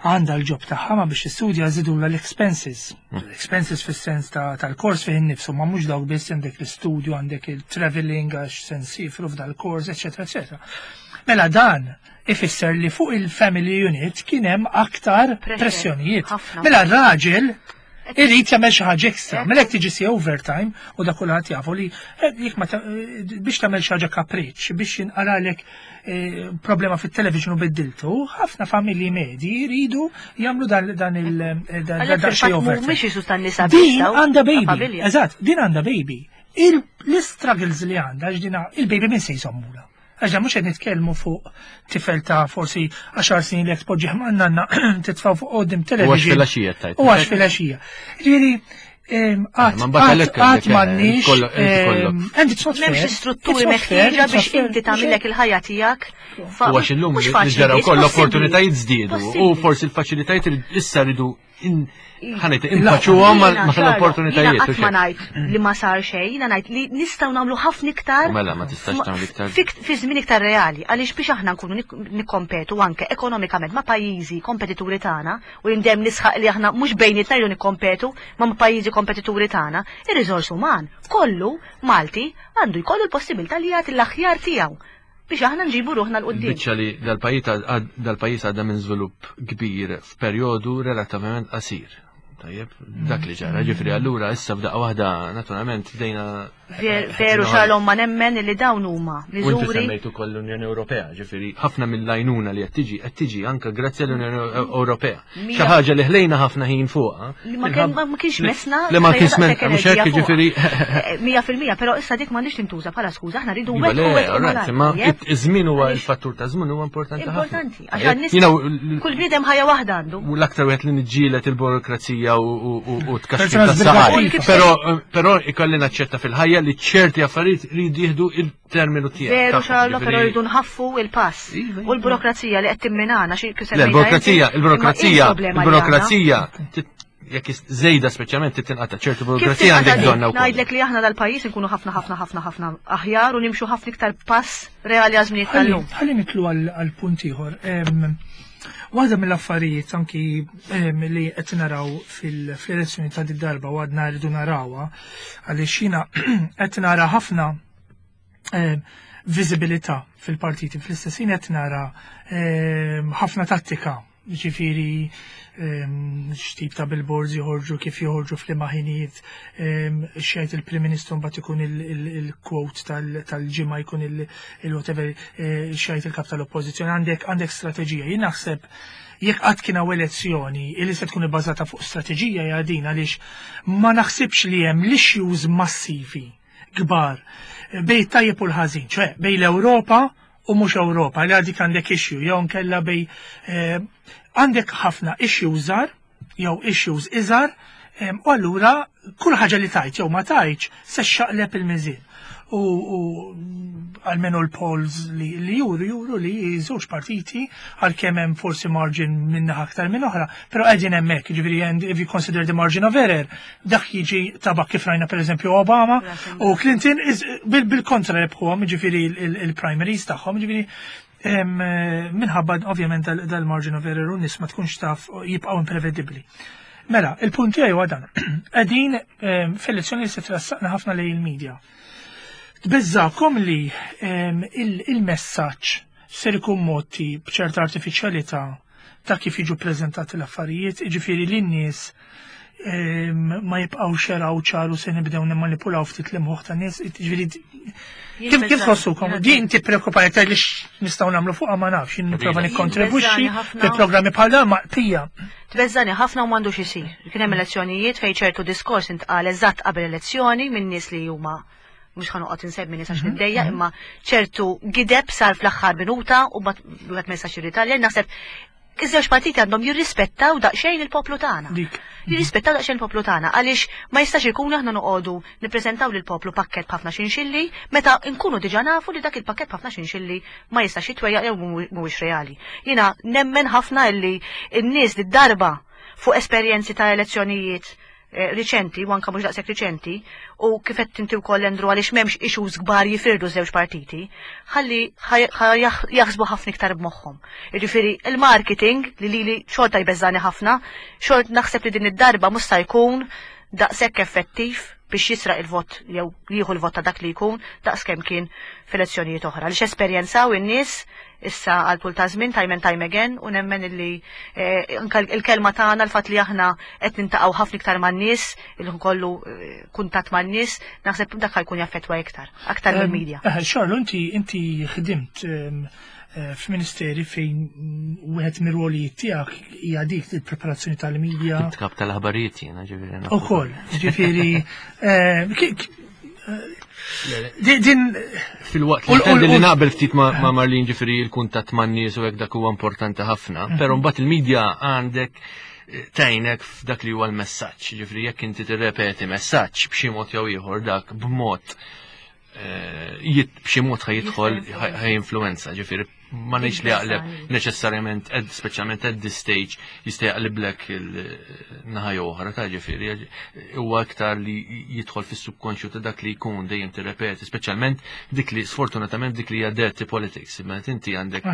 għandha l-ġob tagħha ma biex tistudja żidulha l-expenses. L-expenses fis-sens tal-kors fih innifsu ma mhux dawk biss għandek l-istudju, għandek il-traveling għax se nsifru f'dal-kors, eċetera, eċetera. Mela dan ifisser li fuq il-family unit kien hemm aktar pressjonijiet. Mela r-raġel Irid jagħmel xi ħaġa ekstra. Mela jekk tiġi si overtime u dak kulħadd jafu li eh, jekk ma eh, biex tagħmel xi ħaġa kapriċċ biex jinqalalek eh, problema fit-television u biddiltu, ħafna familji medji jridu jagħmlu dan dan il dan xi overtime. Mhux isu tan-nisa Din għandha baby. Eżatt, din għandha baby. L-struggles li għandha x'dina il-baby minn se jsommula. Għax dan mhux qed nitkellmu fuq tifel ta' forsi 10 snin li jekk tpoġġih ma' nanna titfgħu fuq qudiem television. U għax filgħaxija tajt. U għax filgħaxija. Ġifieri qatt m'għandniex. And it's not fair. M'hemmx strutturi meħtieġa biex inti tagħmilek il-ħajja tiegħek. U għax illum li ġara wkoll l-opportunitajiet żdiedu u forsi l-faċilitajiet issa rridu ħanejt infaċuhom ma' l-opportunitajiet. Qatt ma ngħid li ma sar xejn, jiena ngħid li nistgħu nagħmlu ħafna iktar. Mela ma tistax tagħmel iktar. Fi żmien iktar reali, għaliex biex aħna nkunu nikkompetu anke ekonomikament ma' pajjiżi kompetituri tagħna u jindem nisħaq li aħna mhux bejnietna jridu nikkompetu ma' pajjiżi kompetituri tagħna, ir-riżors uman kollu Malti għandu jkollu l-possibilità li jagħti l-aħjar tiegħu biex aħna nġibu ruħna 'l quddiem. Biċċa li dal-pajjiż għadda minn żvilupp kbir f'perjodu relattivament qasir. Tajjeb, dak li ġara, ġifri allura issa f'daqqa waħda naturalment bdejna. Veru xalhom ma nemmen li dawn huma miżuri. U inti semmejt ukoll l-Unjoni Ewropea, ġifieri ħafna mill-għajnuna li qed tiġi qed tiġi anke grazzi għall-Unjoni Ewropea. Xi ħaġa li ħlejna ħafna ħin fuqha. Li ma kienx mesna. Li ma kienx mesna, mhux hekk jiġifieri. 100% eh, però issa dik m'għandix tintuża bħala skuża, aħna rridu wet u wet. Imma iż-żmien huwa il-fattur ta' żmien huwa importanti ħafna. Importanti, għax għan-nies kull bniedem ħajja waħda għandu. U l-aktar wieħed li niġġieled il-burokrazija u tkaxxir tas-saqaj. Però ikolli naċċetta fil-ħajja li ċerti affarijiet rridu jieħdu terminu tiegħek. Veru xallo, però rridu nħaffu il-pass. Iva, iva. U l-burokrazija li qed timminana xi kif Il-burokrazija, il-burokrazija, il-burokrazija jekk żejda speċjalment titinqata ċertu burokrazija għandek bżonna wkoll. Ngħidlek li aħna dal-pajjiż inkunu ħafna ħafna ħafna ħafna aħjar u nimxu ħafna iktar pass reali għażmijiet tal-lum. Ħalli nitlu għal punt ieħor. Waħda mill-affarijiet anki li qed naraw fil-elezzjoni ta' darba u għadna rridu narawha għaliex jiena qed nara ħafna eh, viżibilità fil-partiti fl-istess ħin qed nara eh, ħafna tattika. Ġifieri x'tip ta' billboards joħorġu, kif joħorġu f'liema ħinijiet, x'jgħid il-Prim Ministru mbagħad ikun il-quote tal-ġimgħa jkun il-whatever eh, x'jgħid il-kap tal-Oppożizzjoni. Għandek għandek strateġija. Jien naħseb jekk qatt kien hawn elezzjoni li se tkun ibbażata fuq strateġija hija din għaliex ma naħsibx li hemm l-issues massivi kbar bejn tajjeb u l-ħażin, ċe bejn l-Ewropa u mhux Ewropa li għadik għandek issue jew nkella bej eh, għandek ħafna issue żgħar jew issues iżgħar u allura kull ħaġa li tajt jew ma tajtx se xaqleb il-miżien. U għalmenu l-polls li, li juru juru li żewġ partiti għalkemm hemm forsi margin minna aktar minn oħra, però qegħdin hemmhekk, jiġifieri and if you consider the margin of error, dak jiġi tabak kif rajna pereżempju Obama u Clinton bil-kontra rebħuhom, jiġifieri il-primaries tagħhom, jiġifieri minħabba ovvjament dal-margin of error u nies ma tkunx taf jibqgħu imprevedibbli. Mela, il-punt tiegħi huwa dan. Qegħdin f'elezzjoni li se trassaqna ħafna lejn il-medja. Tbeżżakom li il-messaġġ ser ikun motti b'ċerta artifiċjalità ta' kif jiġu preżentati l-affarijiet, jiġifieri li n-nies ma jibqgħux jaraw ċaru se nibdew nimmanipulaw ftit l-imħuħ ta' nies, jiġifieri kif kif tħossukom? Din tippreokupa jekk li nistgħu nagħmlu fuqha ma nafx, jien nipprova nikkontribwixxi fi programmi bħal dan ma pija. Tbeżżani ħafna u m'għandux isir. Kien hemm elezzjonijiet fejn ċertu diskors intqal eżatt qabel elezzjoni minn nies li huma mhux ħa noqgħod insemmi nies għax mhm, niddejja, mhm. imma ċertu gideb sar fl-aħħar minuta u wieħed ma jistax jirritalja, naħseb iż-żewġ partiti għandhom jirrispettaw daqsxejn il-poplu tagħna. Jirrispettaw daqsxejn il-poplu tagħna għaliex ma jistax ikun aħna noqogħdu nippreżentaw lill-poplu pakkett b'ħafna xinxilli meta nkunu diġà nafu li dak il-pakkett b'ħafna xinxilli ma jistax jitwejjaq jew mhuwiex reali. Jiena nemmen ħafna illi n-nies li darba fuq esperjenzi ta' elezzjonijiet Eh, riċenti, u anka mhux daqshekk riċenti, u kif qed inti wkoll Andrew għaliex m'hemmx issues kbar jifirdu żewġ partiti, ħalli jaħsbu ħafna iktar b'moħħhom. Jiġifieri il-marketing li lili xorta jbeżżani ħafna, xort naħseb li din id-darba mhux se jkun daqshekk effettiv biex jisraq il-vot jew jieħu l-vot ta' dak li jkun daqs kemm kien f'elezzjonijiet oħra. Għaliex esperjenzaw in-nies issa għal tul ta' żmien time and time again u nemmen illi eh, anka il-kelma tagħna l-fatt li aħna qed nintaqgħu ħafna iktar man-nies, il kollu eh, kuntatt man-nies, naħseb dak jkun jaffettwa iktar, aktar mill-media. Eh, Xorlu, inti inti ħdimt f'ministeri fejn wieħed mir-rwolijiet tiegħek hija dik il-preparazzjoni tal-media. Kap tal-aħbarijiet jiena ġifieri. Ukoll, ġifieri Din fil-waqt li intendi li naqbel ftit ma' Marlin ġifieri il-kuntatt man-nies u hekk dak huwa importanti ħafna, mhm. però mbagħad il-medja għandek eh, tgħinek f'dak li huwa l-messaġġ, ġifieri jekk inti tirrepeti messaġġ b'xi mod jew ieħor dak b'mod eh, b'xi mod ħajidħol ħajinfluenza, ġifieri ma ngħidx li jaqleb neċessarjament speċjalment at this stage jista' jaqliblek il-naħa jew oħra ta' ġifieri huwa aktar li jidħol fis-subkonxju ta' dak li jkun dejjem tirrepeti, speċjalment dik li sfortunatament dik li hija dirty politics, meta inti għandek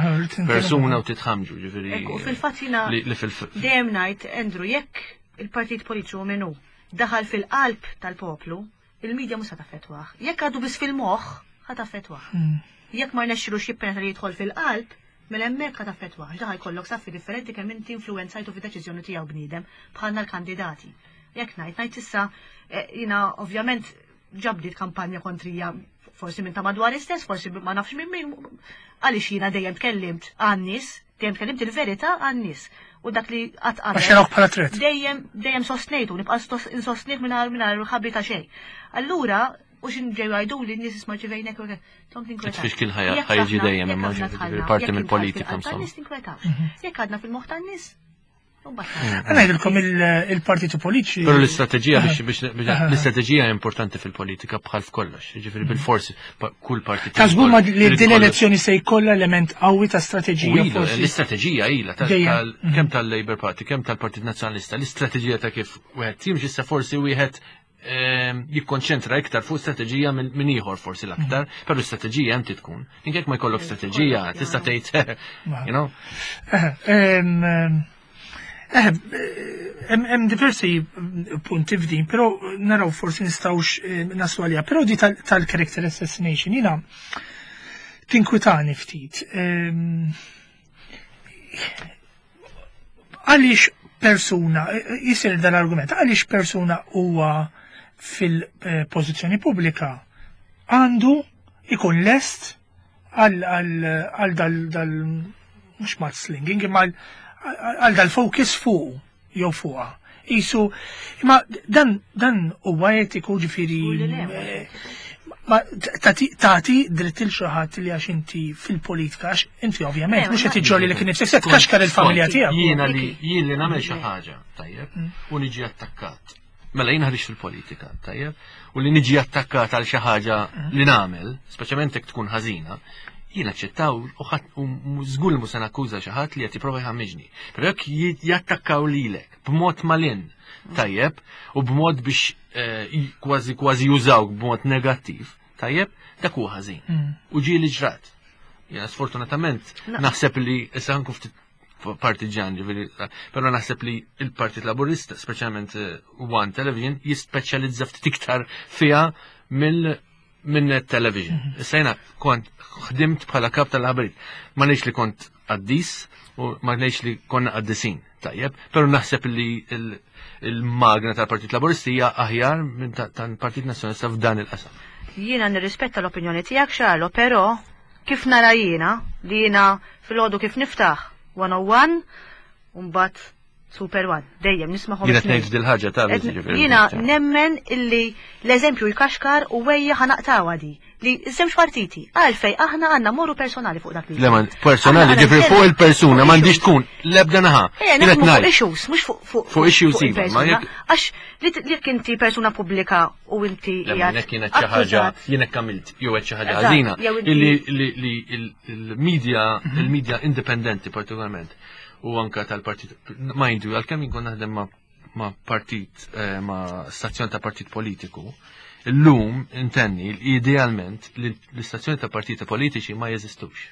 persuna u titħamġu ġifieri. Fil-fatt jiena dejjem ngħid Andrew jekk il-partit politiċu minnu daħal fil-qalb tal-poplu, il-media mhux se taffettwah. Jekk għadu biss fil-moħħ, ħa taffettwah. Hmm. Jekk ma rnexxilux jippenetra li jidħol fil-qalb, mela hemmhekk ħa taffettwah. Ġa jkollok saffi differenti kemm inti influenzajtu fid-deċiżjoni tiegħu bniedem bħalna l-kandidati. Jekk ngħid ngħid issa eh, jiena ovvjament ġabdiet kampanja kontrija forsi minn ta' madwar istess, forsi ma nafx minn min, għaliex jiena dejjem tkellimt għan-nies, Dejjem tkellimt il-verità għan-nies u dak li qatt qabel. Għax bħala threat. Dejjem dejjem sostnejtu, nibqa' insostnih mingħajr mingħajr ħabi ta' xejn. Allura, u xin ġew jgħidu li n-nies isma' ġivejnek u tom tinkwetax. Tfixkil ħajġi dejjem imma parti mill-politika insomma. Nies tinkwetax. Mhm. Jekk għadna fil-moħħ tan-nies, Ngħidilkom il-partiti politiċi. Però l-istrateġija biex biex l-istrateġija importanti fil-politika bħal f'kollox, jiġifieri bil-forsi kull partit. Ta' żgur ma li din elezzjoni se jkollha element qawwi ta' strateġija. L-istrateġija ilha kemm tal-Labour Party, kemm tal-Partit Nazzjonalista, l-istrateġija ta' kif wieħed jimxi issa forsi wieħed jikkonċentra iktar fuq strateġija minn ieħor forsi l-aktar, mm. però l-istrateġija hemm tkun. Inkek ma jkollok strateġija, tista' tgħid, you know. Eh, hemm diversi punti f'din, però naraw forsi nistgħux eh, naslu għalija, però di tal-character assassination jiena tinkwitani ftit. Għaliex persuna, jisir dal-argument, għaliex persuna huwa fil-pożizzjoni pubblika għandu ikun lest għal dal dal mhux mudslinging imma għal dal-focus fuq jew fuqha. Isu, imma dan dan huwa etiku ġifieri eh, ma tagħti dritt il xi ħadd li għax inti fil-politika għax inti ovvjament mhux qed iġġorri li kien nifsek se tkaxkar il-familja tiegħek. Jiena li jien li nagħmel xi ħaġa, tajjeb, u niġi attakkat. Mela jien ħriġt fil-politika, tajjeb, u li niġi attakkat għal xi ħaġa li nagħmel, speċjalment jekk tkun ħażina, jien aċċettaw u ħadd u żgur li mhux se nakkuża xi ħadd li qed jipprova jħammiġni. Però jekk jattakkaw lilek b'mod malin, tajjeb, u b'mod biex eh, kważi kważi jużawk b'mod negattiv, tajjeb, dak huwa ħażin. U ġieli ġrat. Jiena sfortunatament naħseb li issa ħankun ftit partiġan, ġifieri, però naħseb li il-Partit Laburista, speċjalment eh, One Television, jispeċjalizza ftit iktar fiha mill minn Net Television. Mhm. Issa jiena kont ħdimt bħala kap tal-ħabrit. Ma ngħidx li kont qaddis u ma ngħidx li konna qaddisin, tajjeb, però naħseb li il-magna tal-Partit Laburisti hija aħjar minn tal-Partit Nazzjonalista f'dan il-qasam. Jiena nirrispetta l-opinjoni tiegħek Xarlo, però Kif nara jiena, li jiena filgħodu kif niftaħ 101 u mbagħad Super One, dejjem nismagħhom. Jiena qed ngħid dil-ħaġa ta' Jiena nemmen illi l-eżempju jkaxkar u wejja ħanaqtawha di li żewġ partiti għalfej aħna għandna morru personali fuq dak li. Le personali ġifri fuq il-persuna m'għandix tkun l-ebda naħa. Eh, naħdmu fuq issues, mhux fuq fuq issues iva, għax li jekk inti persuna pubblika u inti qiegħed. Jien xi ħaġa, jien hekk għamilt jew qed xi ħaġa ħażina illi li il-media mhm. il-media indipendenti partikolarment u anka tal-partit mind you għalkemm jien kont naħdem ma' partit eh, ma' stazzjon ta' partit politiku, illum intenni idealment li l-istazzjoni ta' partiti politiċi ma jeżistux.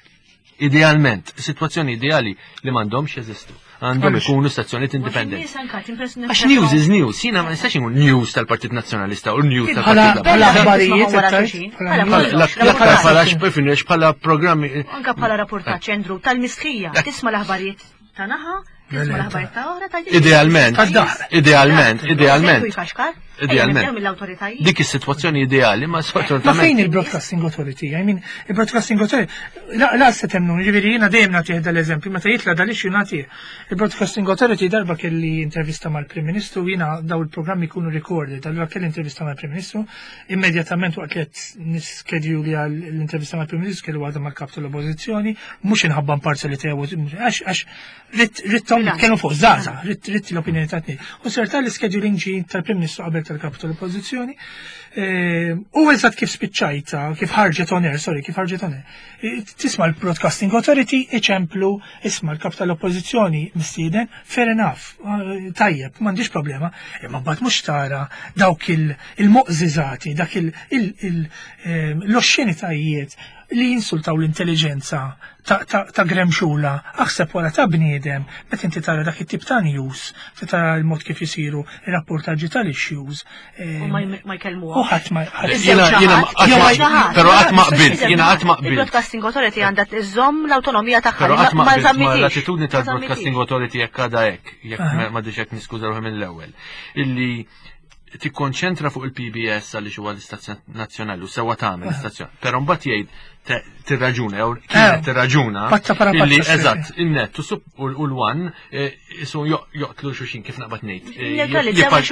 Idealment, situazzjoni ideali li m'għandhomx jeżistu. Għandhom ikunu stazzjonijiet indipendenti. Għax news is news, jiena ma nistax inkun news tal-Partit Nazzjonalista u news tal-Partit Laburista. L-aktar bħala x'bifin bħala programmi. Anka bħala rapportaġġ Andrew tal-mistħija, tisma' l-aħbarijiet ta' naħa, Idealment, idealment, idealment. Idealment. Dik is-sitwazzjoni ideali, ma sfortunatament. Ma fejn il-Broadcasting Authority? I mean, il-Broadcasting Authority, la, la se temnu, ġifieri jiena dejjem nagħtih dal-eżempju, meta jitla dal-issue nagħtih. Il-Broadcasting Authority darba kelli intervista mal-Prim Ministru, jiena daw il-programmi jkunu recorded, allura kelli intervista mal-Prim Ministru, Immedjatament waqt li qed niskedjuli għal l-intervista mal-Prim Ministru kellu għadha mal-kap tal-Oppożizzjoni, mhux inħabba imparzjalità għax għax rittom nitkellmu fuq żgħażagħ, ritt l-opinjoni ta' tnejn. U ser tal-scheduling ġi tal-Prim Ministru qabel tal-kap tal-Oppożizzjoni. Eh, u eżatt kif spiċċajta, kif ħarġet on air, sorry, kif ħarġet on air. Eh, tisma' l-Broadcasting Authority iċemplu, isma' l-kap tal-Oppożizzjoni mistieden, fair enough, eh, tajjeb, m'għandix problema, imma mbagħad mhux tara dawk il-moqżiżati, dak l-oxxenitajiet li jinsultaw l-intelligenza ta' gremxula, aħseb wara ta' bniedem, meta inti tara dak it-tip ta' news, tara l-mod kif isiru ir-rapportaġġi tal-issues. U ma jkellmu. U ħadd ma Però qatt ma qbilt, jiena qatt ma qbilt. Il-Broadcasting Authority għandha tżomm l-awtonomija tagħha. Però qatt ma qbilt ma l-attitudni tal-Broadcasting Authority jekk għadha hekk, jekk ma hekk niskuża ruħi mill-ewwel, illi tikkonċentra fuq il-PBS għaliex huwa l-istazzjon nazzjonali u sewwa tagħmel l-istazzjon. Però mbagħad jgħid tirraġuna jew kienet eh, tirraġuna illi eżatt in-net u l-one eh, isu joqtlu xuxin kif naqbad ngħid. Eh,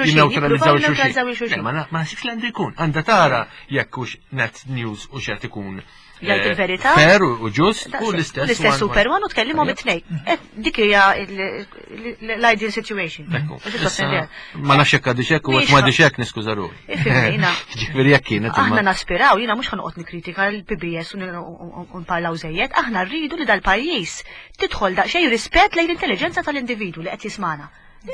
jinneutralizzaw xuxin. Ma naħsibx li għandu jkun. Għandha tara jekk hux net news u xed ikun jgħid il-verità. Fair u ġust u l-istess. L-istess super one u tkellimhom it-tnejn. Eh, dik hija l-ideal situation. Ma nafx hekk għadix hekk u hekk ma għadix hekk niskuża ruħi. Ġifieri jekk kienet. Aħna naspiraw, jiena mhux ħanoqgħod nikkritika l-PBS u nparlaw żejjed, aħna rridu li dal-pajjiż tidħol daqsxejn rispett lejn l-intelligenza tal-individwu li qed jismana.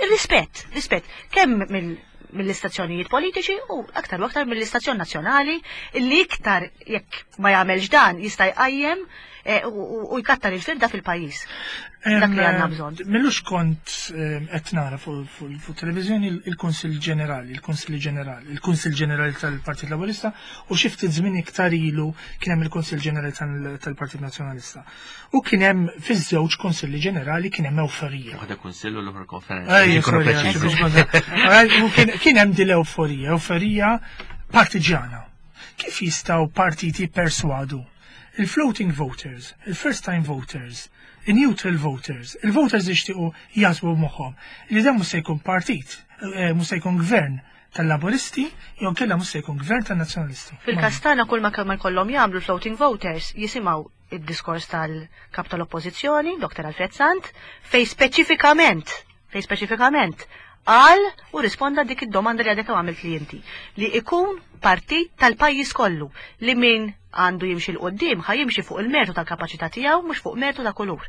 Rispett, rispett, kemm mill mill-istazzjonijiet politiċi u aktar u aktar mill-istazzjon nazzjonali li iktar jekk ma jagħmelx dan jista' jqajjem eh, u jkattar il-firda fil-pajjiż. Dak li għandna bżonn. Millux kont qed nara fuq televiżjoni il-Kunsill Ġenerali, il-Kunsill Ġenerali, il-Kunsill Ġenerali tal-Partit Laburista u xi ftit żmien iktar ilu kien hemm il-Kunsill Ġenerali tal-Partit Nazzjonalista. U kien hemm fiż-żewġ Kunsilli Ġenerali kien hemm ewforija. Waħda kunsill u l-oħra konferenza. Kien hemm din l-ewforija, ewforija partiġjana. Kif jistgħu partiti perswadu il-floating voters, il-first time voters, il-neutral voters, il-voters jixtiequ jaħsbu moħħhom li dan mhux se jkun partit, mhux se jkun gvern tal-Laburisti, jew kella mhux se jkun gvern tan-Nazzjonalisti. Fil-każ tagħna kull ma kemm jkollhom jagħmlu floating voters jisimgħu id-diskors tal-kap tal-Oppożizzjoni, Dr. Alfred Sant, fej speċifikament qal u risponda dik id-domanda li għadek għamilt li inti, li ikun partit tal-pajjiż kollu li min għandu jimxi 'l quddiem ħa jimxi fuq il-mertu tal-kapaċità tiegħu mhux fuq mertu ta' kulur.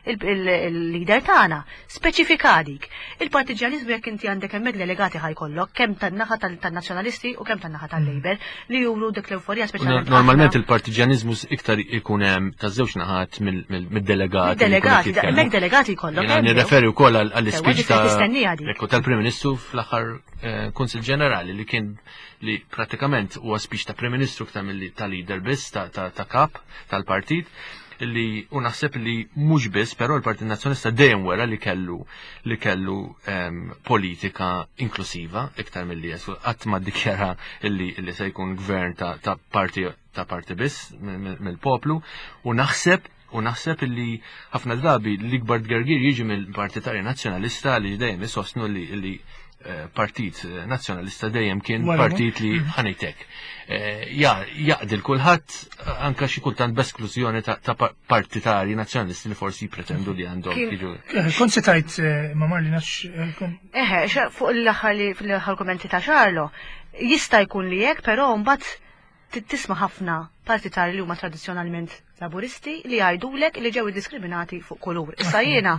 Il-leader tagħna speċifika dik. Il-partiġjaniżmu jekk inti għandek hemmhekk delegati ħajkollok kemm tan-naħa tan-nazzjonalisti u kemm tan-naħa tal-Labour li juru dik l-euforija speċjalment. Normalment il-partiġjaniżmu iktar ikun hemm taż-żewġ naħat mid-delegati. Delegati, hemmhekk delegati jkollok. Jiena nirreferi wkoll għall-ispeech tal-Prim Ministru fl-aħħar Kunsill Ġenerali li kien li pratikament huwa speech ta' Prim Ministru iktar milli ta' leader biss ta' kap tal-partit li u naħseb li mhux biss però l-Partit Nazzjonalista dejjem wera li kellu li kellu politika inklusiva iktar milli jesu qatt ma ddikjara li li se jkun gvern ta' parti ta' parti biss mill-poplu u naħseb u naħseb li ħafna drabi l-ikbar tgergir jiġi mill-Partitarju Nazzjonalista li dejjem isostnu li Partit Nazzjonalista dejjem kien partit li ħanejtek. Jaqdi l-kulħadd anka xi kultant b'esklużjoni ta' partitari nazzjonalisti li forsi pretendu li għandhom jiġu. Kont se tajt ma Marli nax. Eħe, fuq l-aħħar li fl-aħħar kommenti ta' Xarlo, jista' jkun li hekk, però mbagħad tisma' ħafna partitari li huma tradizzjonalment Laburisti li jgħidulek li ġew diskriminati fuq kulur. Issa jiena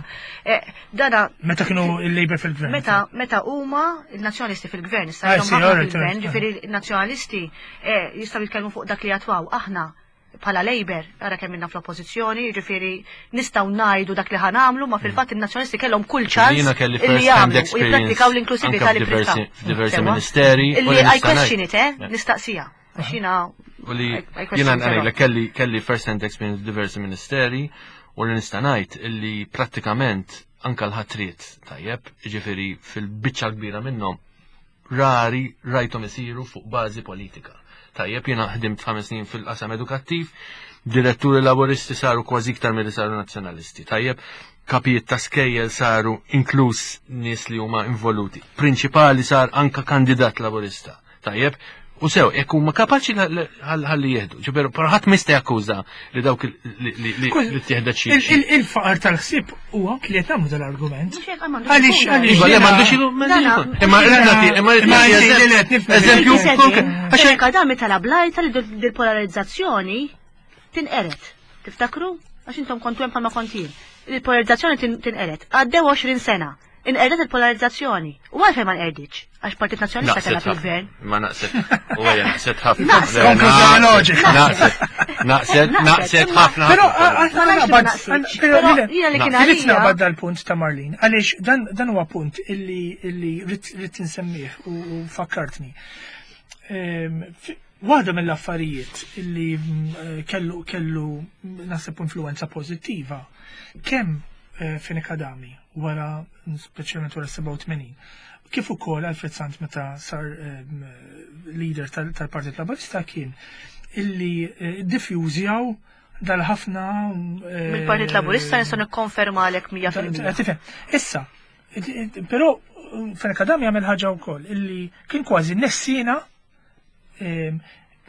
dana Meta kienu il-Labour fil-gvern. Meta huma il-Nazzjonalisti fil-gvern, issa fil-gvern, ġifieri il-Nazzjonalisti jistgħu jitkellmu fuq dak li jatwaw aħna bħala Labour, ara kemm minna fl-oppożizzjoni, ġifieri nistgħu ngħidu dak li ħanamlu, ma fil-fatt in-Nazzjonalisti kellhom kull ċans li jagħmlu u jipprattikaw l-inklusività li pritkaw. Diversi ministeri. Illi I question it, nistaqsija. Għax U li jiena ngħidlek kelli first hand experience diversi ministeri u li nista' ngħid illi prattikament anka l-ħatriet tajjeb, jiġifieri fil-biċċa kbira minnhom rari rajthom isiru fuq bażi politika. Tajjeb, jiena ħdimt 5 snin fil-qasam edukattiv, diretturi laboristi saru kważi iktar milli saru nazzjonalisti. Tajjeb, kapijiet ta' skejjel saru inkluż nies li huma involuti. Prinċipali sar anka kandidat laborista. Tajjeb, u sew, jekk huma kapaċi ħalli jieħdu. Ġifieri, però ħadd mista jakkuża li dawk li tieħdet xi. Il-faqar tal-ħsieb huwa li qed nagħmlu dal-argument. Għaliex għaliex. Iva, le m'għandux imma imma eżempju għax kadami tal-ablajta li dil-polarizzazzjoni tinqeret. Tiftakru? Għax intom kontu hemm bħalma kont jien. Il-polarizzazzjoni tinqeret. Għaddew 20 sena. Inqerdet il-polarizzazzjoni. U għalfejn ma nqerditx? Għax Partit Nazzjonalista kellha fil-gvern. Ma naqset. U għajja naqset ħafna. Konklużjoni loġika. Naqset, naqset ħafna. Però Irrid naqbad dal-punt ta' Marlene, għaliex dan huwa punt illi rrid insemmih u fakkartni. Waħda mill-affarijiet illi kellu naħseb influenza pożittiva kemm Fenech Adami wara speċjalment wara 87 kif ukoll Alfred Sant meta sar leader tal-Partit Laburista kien illi diffjużjaw dal-ħafna Mill-Partit Laburista nista' nikkonfermalek 100%. Tifhem. Issa, però Fenech Adami għamel ħaġa wkoll illi kien kważi nessina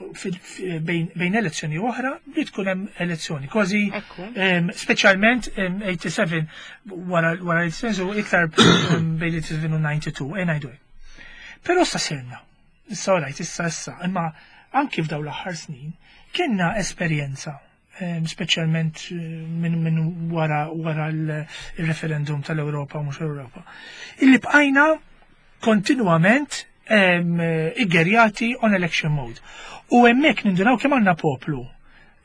bejn elezzjoni oħra li tkun hemm elezzjoni. Kważi speċjalment 87 wara l-87 u iktar bejn 87 u 92, e ngħidu. Però sa sirna, issa rajt, issa issa, imma anki f'daw l-aħħar snin kienna esperjenza speċjalment minn wara l-referendum tal-Ewropa u mhux Ewropa. Illi bqajna kontinwament iggerjati on election mode. U hemmhekk nindunaw kemm għandna poplu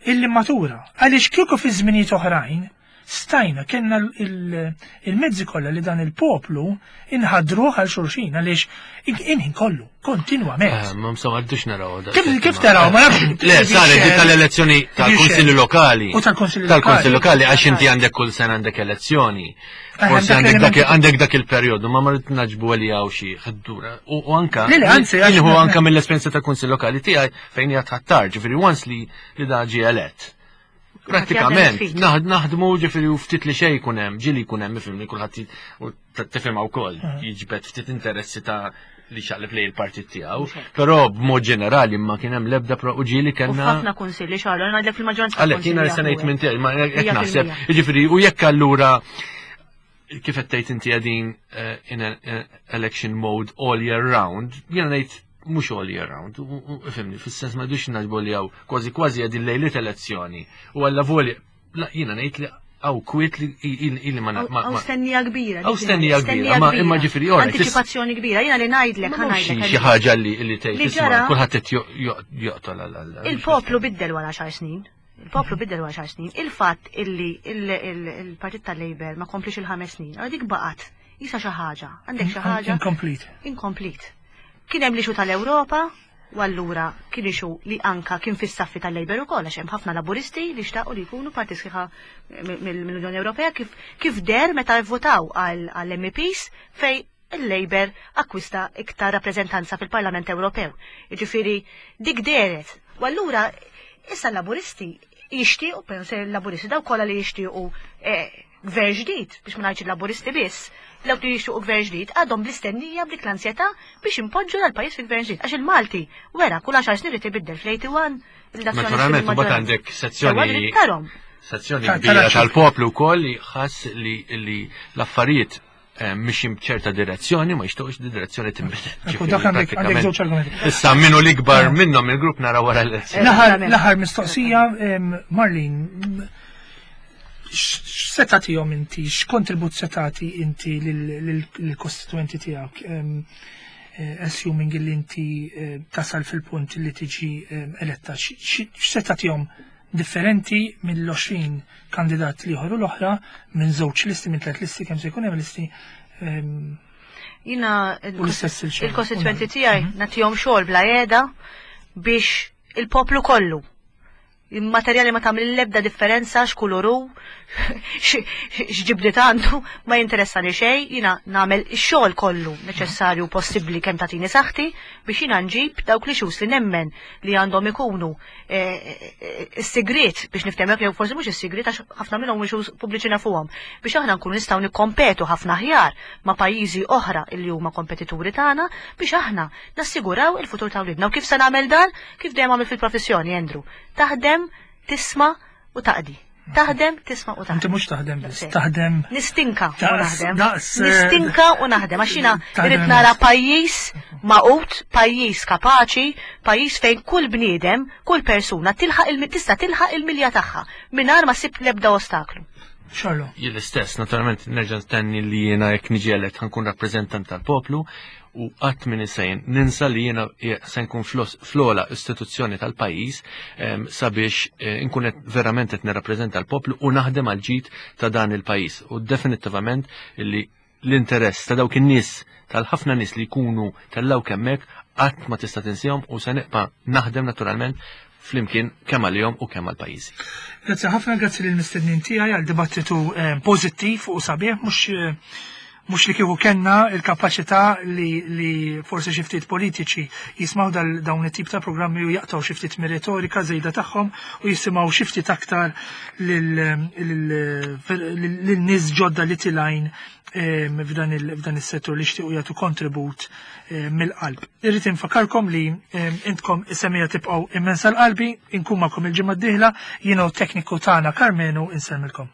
illi matura. Għaliex kieku fi żminijiet oħrajn, Stajna, kellna il-mezzi kollha li dan il-poplu inħadruh għal xulxin għaliex inħin kollu, kontinwament. Eh, ma msomma għaddux naraw. Kif taraw, ma nafx. Le, saret di tal-elezzjoni tal-Kunsilli Lokali. U tal-Kunsilli Tal-Kunsilli Lokali għax inti għandek kull sena għandek elezzjoni. Eh, Forsi għandek dak il-perjodu, ma marrit naġbu għalli għaw xi ħaddura. U anka. Le, anzi. Jien anka mill-esperjenza tal-Kunsill Lokali tiegħi fejn hija tħattar, ġifieri once li da ġie elett. Pratikament, naħdmu ġifiri u ftit li xej jkun hemm, ġili jkun hemm ifhimni kulħadd u tifhimha wkoll, ah. jiġbed ftit interessi ta' li xaqleb lej il-partit tiegħu, però b'mod ġenerali ma kien hemm l-ebda pro u ġieli kellna. Ħafna kunsilli xagħlu, ngħidlek fil-maġġoranza. Għalhekk jiena se ngħid minn tiegħi, ma hekk naħseb, jiġifieri u jekk allura kif qed tgħid inti qegħdin eh, in eh, election mode all year round, jiena ngħid mhux all year round, fimni, fis-sens ma dux naġbu li hawn kważi kważi qegħdin lejliet elezzjoni. U alla voli, jiena ngħid li għaw kwiet li ili ma Għaw stennija kbira. Għaw stennija kbira, ma imma ġifiri ora. Anticipazzjoni kbira, jiena li ngħidlek ngħidlek. Xi ħaġa li li tgħid kulħadd qed joqtol għal. Il-poplu biddel wara xar snin. Il-poplu biddel wara xar snin. Il-fatt illi il-Partit tal-Labour ma komplix il-ħames snin, għal dik baqgħet jisa xi ħaġa. Għandek xi ħaġa. Incomplete. Incomplete. Kien hemm l-ixu tal-Ewropa, u allura kien ixu li anka kien fis-saffi tal-Labour ukoll għax hemm ħafna Laburisti li xtaqu li jkunu parti sħiħa mill-Unjoni Ewropea kif kif der meta vvotaw għall-MEPs fej il-Labour akkwista iktar rappreżentanza fil-Parlament Ewropew. Jiġifieri dik dehret. U allura issa l-Laburisti jixtiequ, però se l-Laburisti dawk kollha li jixtiequ eh, gvern ġdid, biex ma ngħidx il-Laburisti biss, dawk li jixtiequ gvern ġdid għadhom bl-istennija b'dik l-ansjetà biex impoġġu dal-pajjiż fi gvern ġdid. Għax il-Malti wera kull għaxar snin irid ibiddel fl-81 Naturalment, mbagħad għandek sezzjoni sezzjoni kbira tal-poplu wkoll li ħass li l-affarijiet Eh, mixin b'ċerta direzzjoni, ma jixtuqx di direzzjoni tinbidel. Dak għandek żewġ argumenti. Issa minnu l-ikbar eh. minnhom il-grupp nara wara l-elezzjoni. L-aħħar mistoqsija, Marlin, x'se tagħtihom inti, x'kontribut se tagħti inti lill-kostituenti tiegħek? Eh, assuming li inti tasal fil-punt li tiġi eletta, x'se tagħtihom differenti mill-20 kandidat l-ieħor u l-oħra minn żewġ listi, minn tliet listi, kemm se jkun hemm listi. Ehm, Jina il-kostituenti tiegħi mhm. nagħtihom xogħol bla qiegħda biex il-poplu kollu il-materjali ma tagħmel l-ebda differenza x'kulur hu, x'ġibdiet għandu, ma jinteressani xejn, jiena nagħmel ix-xogħol kollu neċessarju possibbli kemm tagħtini saħħti biex jiena nġib dawk li xus li nemmen li għandhom ikunu is-sigriet biex niftehmek jew forsi mhux is-sigriet għax ħafna minnhom mhux pubbliċi nafuhom biex aħna nkunu nistgħu nikkompetu ħafna aħjar ma' pajjiżi oħra li huma kompetituri tagħna biex aħna nassiguraw il-futur ta' wliedna. U kif se nagħmel dan? Kif dejjem għamil fil-professjoni, Andrew. Taħdem, tisma' u taqdi. Taħdem, tisma' u taħdem. Inti mhux taħdem biss, taħdem. Nistinka u naħdem. Eh, Nistinka u naħdem għax jiena irrid nara pajjiż maqut, pajjiż kapaċi, pajjiż fejn kull bniedem, kull persuna tilħaq il tista' tilħaq il-milja tagħha mingħajr ma ssib l-ebda ostaklu. Xallo. Jien l-istess, naturalment nerġa' ntenni li jiena jekk niġi elett ħankun rappreżentant tal-poplu u qatt minn sejn ninsa li jiena se nkun fl-ogħla istituzzjoni tal-pajjiż sabiex eh, nkun verament qed nirrappreżenta l-poplu u naħdem għal ġid ta' dan il-pajjiż. U definittivament li l-interess ta' dawk in-nies tal-ħafna nies li jkunu tellaw kemmek qatt ma tista' tinsihom u se nibqa' naħdem naturalment flimkien kemm għalihom u kemm għall-pajjiżi. Grazzi ħafna, grazzi lill mistednin tiegħi għal dibattitu eh, pożittiv u sabiħ mhux eh, mhux li kieku kellna il-kapaċità li, li forsi xi ftit politiċi jismaw dawn it-tip ta' programmi u jaqtaw xi ftit mir-retorika żejda tagħhom u jisimgħu xi ftit aktar lil nies ġodda li tilajn f'dan is-settur li xtiequ jagħtu kontribut mill-qalb. Irrid infakarkom li intkom is-semija tibqgħu immensa l-qalbi, inkun magħkom il-ġimgħa d-dieħla, jiena u tekniku tagħna Karmenu insemmilkom.